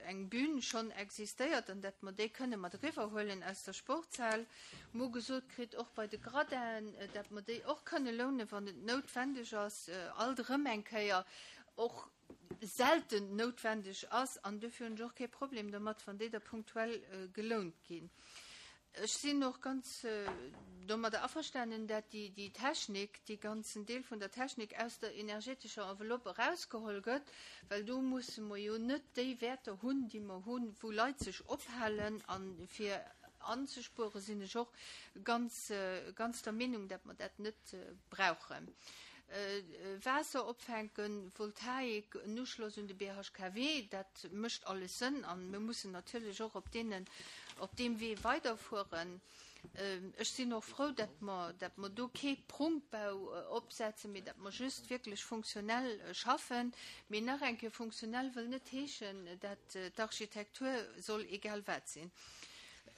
eng Bühn schonn existéiert an dat mer déi kënne mat eriwwerhuelen aus der Sportshal. Mir hu gesot kritt, och bei de Gradinen, dat mer déi och kënne lounen, wann et noutwendeg ass, alt erëm eng Kéier och selten noutwendeg ass. An dofir hunn ech och kee Problem domat, wann déi da punktuell gelount ginn. Ech sinn och ganz domadder averstanen, dat déi Technik, dee ganzen Deel vun der Technik aus der energetescher Enveloppe erausgeholl gëtt, well do musse mer jo net déi Wäerter hunn, déi mer hunn, wou Leit sech ophalen. A fir anzespueren, sinn ech och ganz, ganz der Meenung, dat mer dat net brauchen. Waasser opfänken, Voltaik, en Uschloss un de BHKW, dat mécht alles Sënn a mir mussen natierlech och op deenen, op deem Wee weiderfueren. Ech sinn och frou, dat mer, dat mer do kee Prunkbau opsetzen, mee dat mer just wierklech funktionell schaffen. Mee nach eng Kéier, funktionell wëll net heeschen, dat d'Architektur soll egal wat sinn.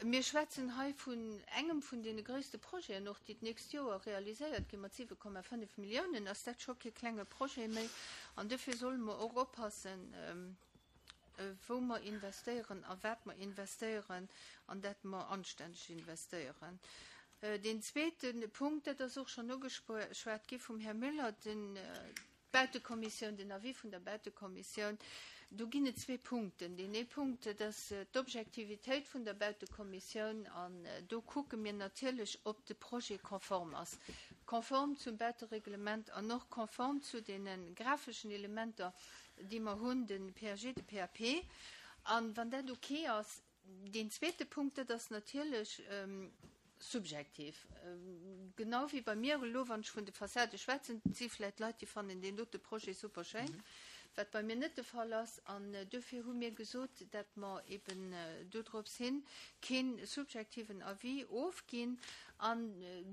Mir schwätzen hei vun engem vun deene gréisste Projeten och, déi d'nächst Joer realiséiert ginn. Mat 7,5 Milliounen ass dat scho kee klenge Projet méi. An dofir solle mer och oppassen, wou mer investéieren a wat mer investéieren an dat mer anstänneg investéieren. Deen zweete Punkt, dat ass och schonn ugeschwat gi vum Här Müller, den, D'Bautekommissioun, den Avis vun der Bautekommissioun, do ginn et zwee Punkten. Deen ee Punkt, dat ass d'Objektivitéit vun der Bautekommissioun an do kucke mir natierlech, ob de Projet konform ass, konform zum Bautereglement an och konform zu deene grafeschen Elementer, déi mer hunn, de PAG, de PAP. A wann dat ok ass, Deen zweete Punkt, dat ass natierlech subjektiv. Genau wéi bei mir elo, wann ech vun de Fassade schwätzen, et si vläicht Leit, déi fannen deen dote Projet super schéin, wat bei mir net de Fall ass. An duerfir hu mir gesot, dat mer eben dodrops hin kee subjektiven Avis ofginn. An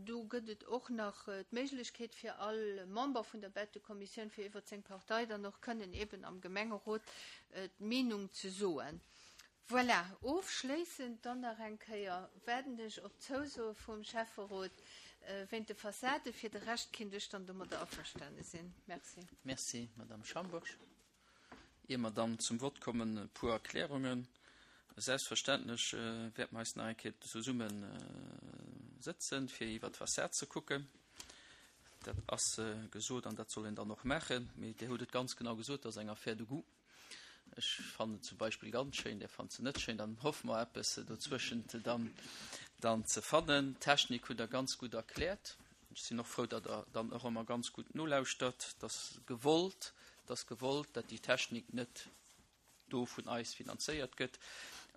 do gëtt et och nach d'Méiglechkeet fir all Member vun der Bautekommissioun, fir iwwert seng Partei dann och kënnen eben am Gemengerot d'Meenung ze soen. Voilà, ofschléissend dann nach eng Kéier waarden ech op d'Zousoe vum Schäfferot wéint de Fassade. Fir de Rescht kinnt ech dann domadder averstane sinn. Merci. Merci, Madame Schambourg. Ier mer dann zum Vott kommen, e puer Erklärungen. Selbstverständlech wäerte mer eis nach eng Kéier zesumme sëtzen, fir iwwert d'Fassad ze kucken. Dat ass gesot an dat soll een dann och maachen. Mee Dir hutt et ganz genau gesot, dat ass eng Affaire de goût. Ech fannen et zum Beispill ganz schéin, där fannt se net schéin, dann hoffe mer eppes dozwëschent dann, dann ze fannen. D'Technik hutt Der ganz gutt erkläert. Ech sinn och frou, datt Der dann och ëmmer ganz gutt nolauschtert. Et ass gewollt, et ass gewollt, datt déi Technik net do vun eis finanzéiert gëtt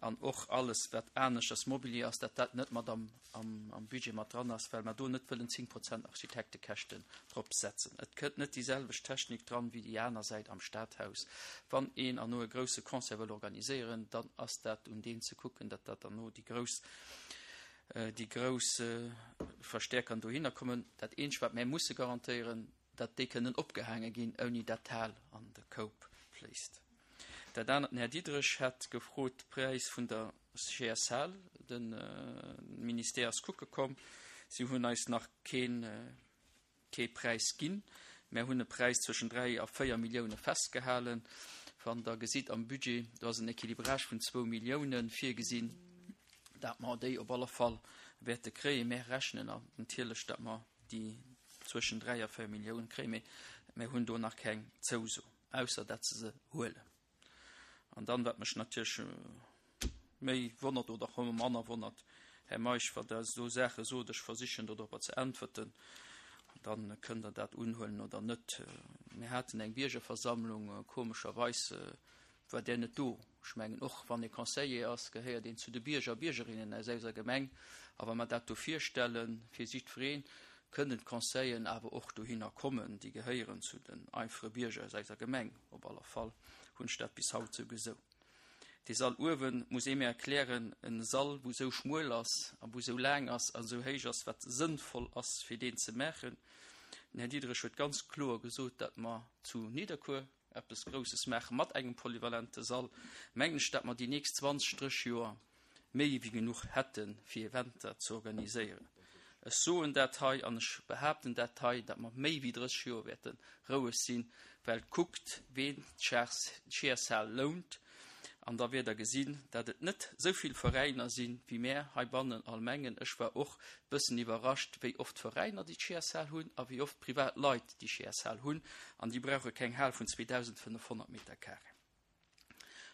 an och alles, wat aneschters Mobilier ass, datt dat net mat am am Budget mat dran ass, well mer do net wëllen 10 Prozent Architektekäschten drop setzen. Et kënnt net déi selwecht Technik dran wéi déi aner Säit am Stadhaus. Wann een erno e grousse Concert wëll organiséieren, dann ass dat un deen ze kucken, datt dat erno déi grouss, déi grouss Verstäerkern dohinner kommen. Dat eenzegt, wat mär musse garantéieren, datt déi kënnen opgehaange ginn, ouni datt d'Hal an de Koup fléisst. Dat anert, den Här Diderich hat gefrot, de Präis vun der CSL, de Ministère ass kucke komm, si hunn eis nach keen, kee Präis ginn. Mär hunn e Präis zwëschen 3 a 4 Millioune festgehalen. Wann Der gesitt am Budget, do ass en Équilibrage vun zwou Millioune virgesinn, dat mer déi op alle Fall wäerte kréien. Mär rechnen natierlech, datt mer déi zwëschen 3 a 4 Milliounen kréien, mee mir hunn do nach keng Zouso, ausser dat se se huelen. An dann, wat mech natierlech méi wonnert oder och ëmmer manner wonnert, Här Meisch, wa Der esou Saache sot, ech versichen dodropper ze äntwerten, dann kënnt Der dat unhuelen oder net. Mir haten eng Biergerversammlung, komescherweis war där net do. Ech mengen, och wann ee Conseiller ass, gehéiert een zu de Bierger a Biergerinnen aus eiser Gemeng. A wa mer dat do virstelle fir jiddwereen, Kënnen d'Conseillen awer och dohinner kommen. Déi gehéieren zu den einfache Bierger aus eiser Gemeng. Op aller Fall hunn ech dat bis haut sou gesou. Dee Sall uewen, muss ee mir erklären, en Sall wou sou schmuel ass a wou sou laang ass a sou héich ass, wat sënnvoll ass fir deen ze maachen. Den Här Diderich huet ganz kloer gesot, dat mer zu Nidderkuer eppes Grousses maache mat engem polyvalente Sall, mengen ech, dat mer déi nächst 20, 30 Joer méi wéi genuch hätte fir Eventer ze organiséieren. Ech soen dat hei an ech behaapten dat hei, dat mer méi wéi 30 Joer wäerte roueg sinn, well kuckt, ween d'Chairshaal lount, an da wäert Der gesinn, dat et net esou vill Veräiner sinn, wéi mär heibannen all mengen. Ech war och bëssen iwwerrascht, wéi oft Veräiner déi Chairshaal hunn a wéi oft privat Leit déi Chairshaal hunn, an déi brauche keng Hal vun 2.500 Meter carré.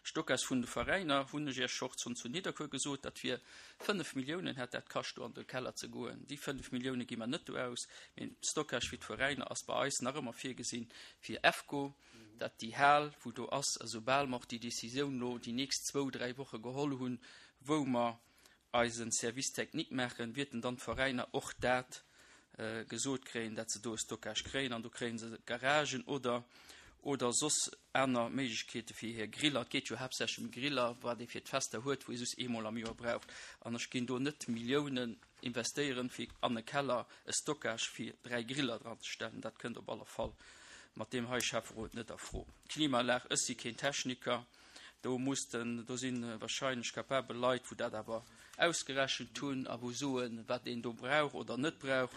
Stockage vun de Veräiner hunn ech Iech och schonn zu Nidderkuer gesot, dat wier 5 Milliounen hätt dat kascht do an de Keller ze goen. Déi 5 Millioune gi mer net do aus, mee Stockage fir d'Veräiner ass bei eis nach ëmmer virgesinn fir EFCO, dat déi Hal wou do ass, esoubal mer och déi Décisioun lo déi nächst zwou, dräi Woche geholl hunn, wou mer eise Service technique maachen, wierten dann d'Veräiner och dat gesot kréien, dat se do e Stockage kréien an do kréie se Garagen oder oder soss aner Méiglechkeete fir hir Griller. Et geet jo haaptsächlech ëm Griller, wat ee fir d'Fester huet, wou ee soss eemol am Joer braucht. An ech ginn do net Milliounen investéieren, fir an e Keller e Stockage fir 3 Griller dran ze stellen. Dat kënnt op alle Fall mat deem hei Schäfferot net a Fro. D'Klimaanlag, ech si keen Techniker, Do muss den, do si wahrscheinlech capabel Leit, wou dat awer ausgerechent hunn a wou soen, wat een do brauch oder net brauch.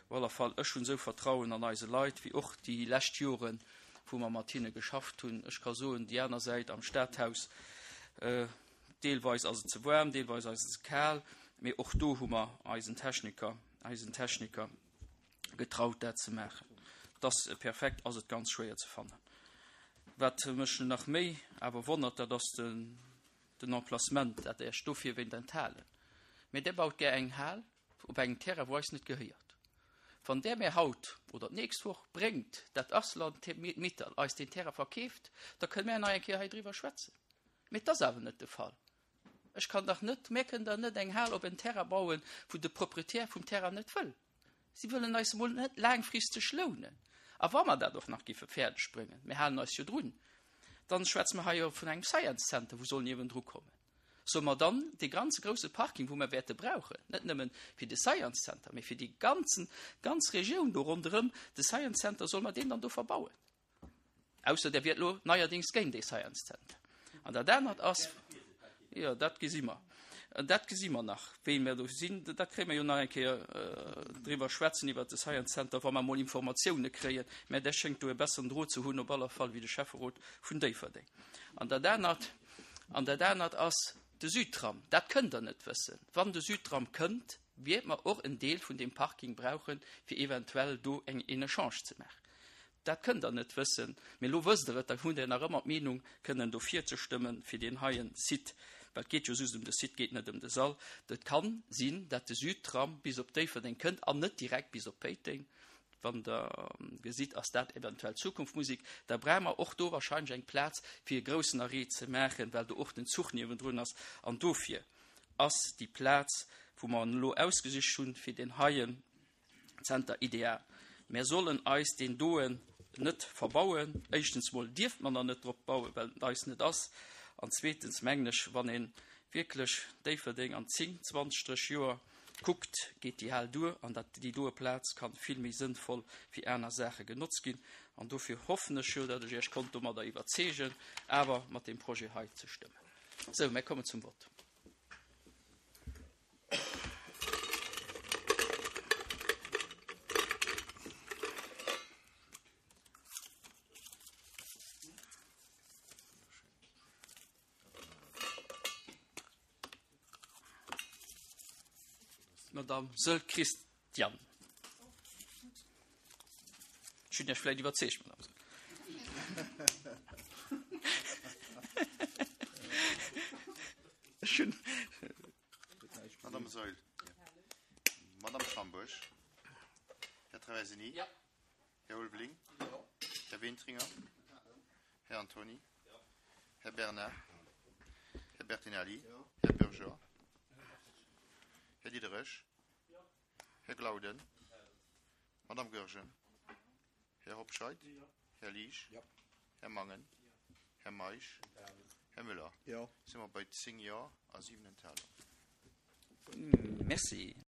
Op alle Fall, ech hunn esou Vertrauen an eise Leit, wéi och déi lescht Joren, wou mer mat hinne geschafft hunn. Ech ka soen, déi aner Säit am Stadhaus, deelweis ass et ze waarm, deelweis ass et ze kal, mee och do hu mer eisen Techniker, eisen Techniker getraut dat ze maachen. Dass perfekt ass et ganz schwéier ze fannen. Wat mech nach méi awer wonnert, dat ass den, den Emplacement, dat Iech dofir wéint enthalen. Mee där baut gär eng Hal op engem Terrain, wou eis net gehéiert. Wann där mär haut oder d'nächst Woch bréngt, dat Arcelor-Mittal eis deen Terrain verkeeft, da kënne mär nach eng Kéier hei driwwer schwätzen. Mee et ass awer net de Fall. Ech kann dach net, mär kënnen dach net eng Hal op en Terrain bauen, wou de Proprietär vum Terrain net wëll. Si wëllen eis emol net laangfristeg lounen. A wa mer dat och nach giffe fäerdeg bréngen, mir halen eis jo drun, dann schwätze mer hei jo vun engem Science Center, wou soll niewendru kommen. Solle mer dann dee ganze grouse Parking, wou mer wäerte brauchen, net nëmmen fir de Science Center, mee fir déi ganzen, ganz Regioun do ronderëm de Science Center, solle mer deen dann do verbauen? Ausser der wiert lo neierdings géint dee Science Center. An dat anert ass, jo, dat gesi mer, dat gesi mer nach, wéi mer do sinn. Dat kréie mer jo nach eng Kéier driwwer schwätzen, iwwert de Science Center, wa mer emol Informatioune kréien. Mä där schéngt do e besseren Drot ze hunn op aller Fall wéi de Schäfferot vun Déifferdeng. An dat anert, an dat anert ass de Südtram. Dat kënnt Der net wëssen. Wann de Südtram kënnt, wäert mer och en Deel vun deem Parking brauchen, fir eventuell do eng, een Echange ze maachen. Dat kënnt Der net wëssen, mee elo wësst Der et, da hutt Der nach ëmmer d'Meenung, kënnen dofir ze stëmmen, fir deen heien Site, well et geet jo just ëm de Site, geet net ëm de Sall. Et ka sinn, dat de Südtram bis op Déifferdeng kënnt an net direkt bis op Péiteng. Wann Der gesitt, ass dat eventuell Zukunftsmusik. Da brauche mer och do wahrscheinlech eng Plaz, fir e groussen Arrêt ze maachen, well do och den Zuch niewendrun ass. An dofir ass déi Plaz, wou mer elo ausgesicht hunn, fir deen heien Zenter ideal. Mär sollen eis deen doen net verbauen. Éischtens mol dierft mer der net drop bauen, well et eis net ass. An zweetens mengen ech, wann ee wierklech Déifferdeng an 10, 20, 30 Joer kuckt, geet déi Hal duer an dat déi doe Plaz kann vill méi sënnvoll fir aner Saache genotzt ginn. An dofir hoffen ech jo, datt ech Iech konnt domadder iwwerzeegen, awer mat deem Projet hei ze stëmmen. Sou, mär kommen zum Vott. Madame Seul Christian. Ech hunn Iech vläicht iwwerzeegt, Madame Saeul. Ech hunn. Madame Saeul. Madame Schambourg. Här Traversini. Ja. Här Ulveling. Här Wintringer. Här Antony. Här Bernard. Här Bertinelli. Här Bourgeois. Här Diderich. Här Glauden. Madame Goergen. Här Hobscheit. Här Liesch. Här Mangen. Här Meisch. Här Müller. Si mer bei 10 Jo a 7 Enthalungen. Merci.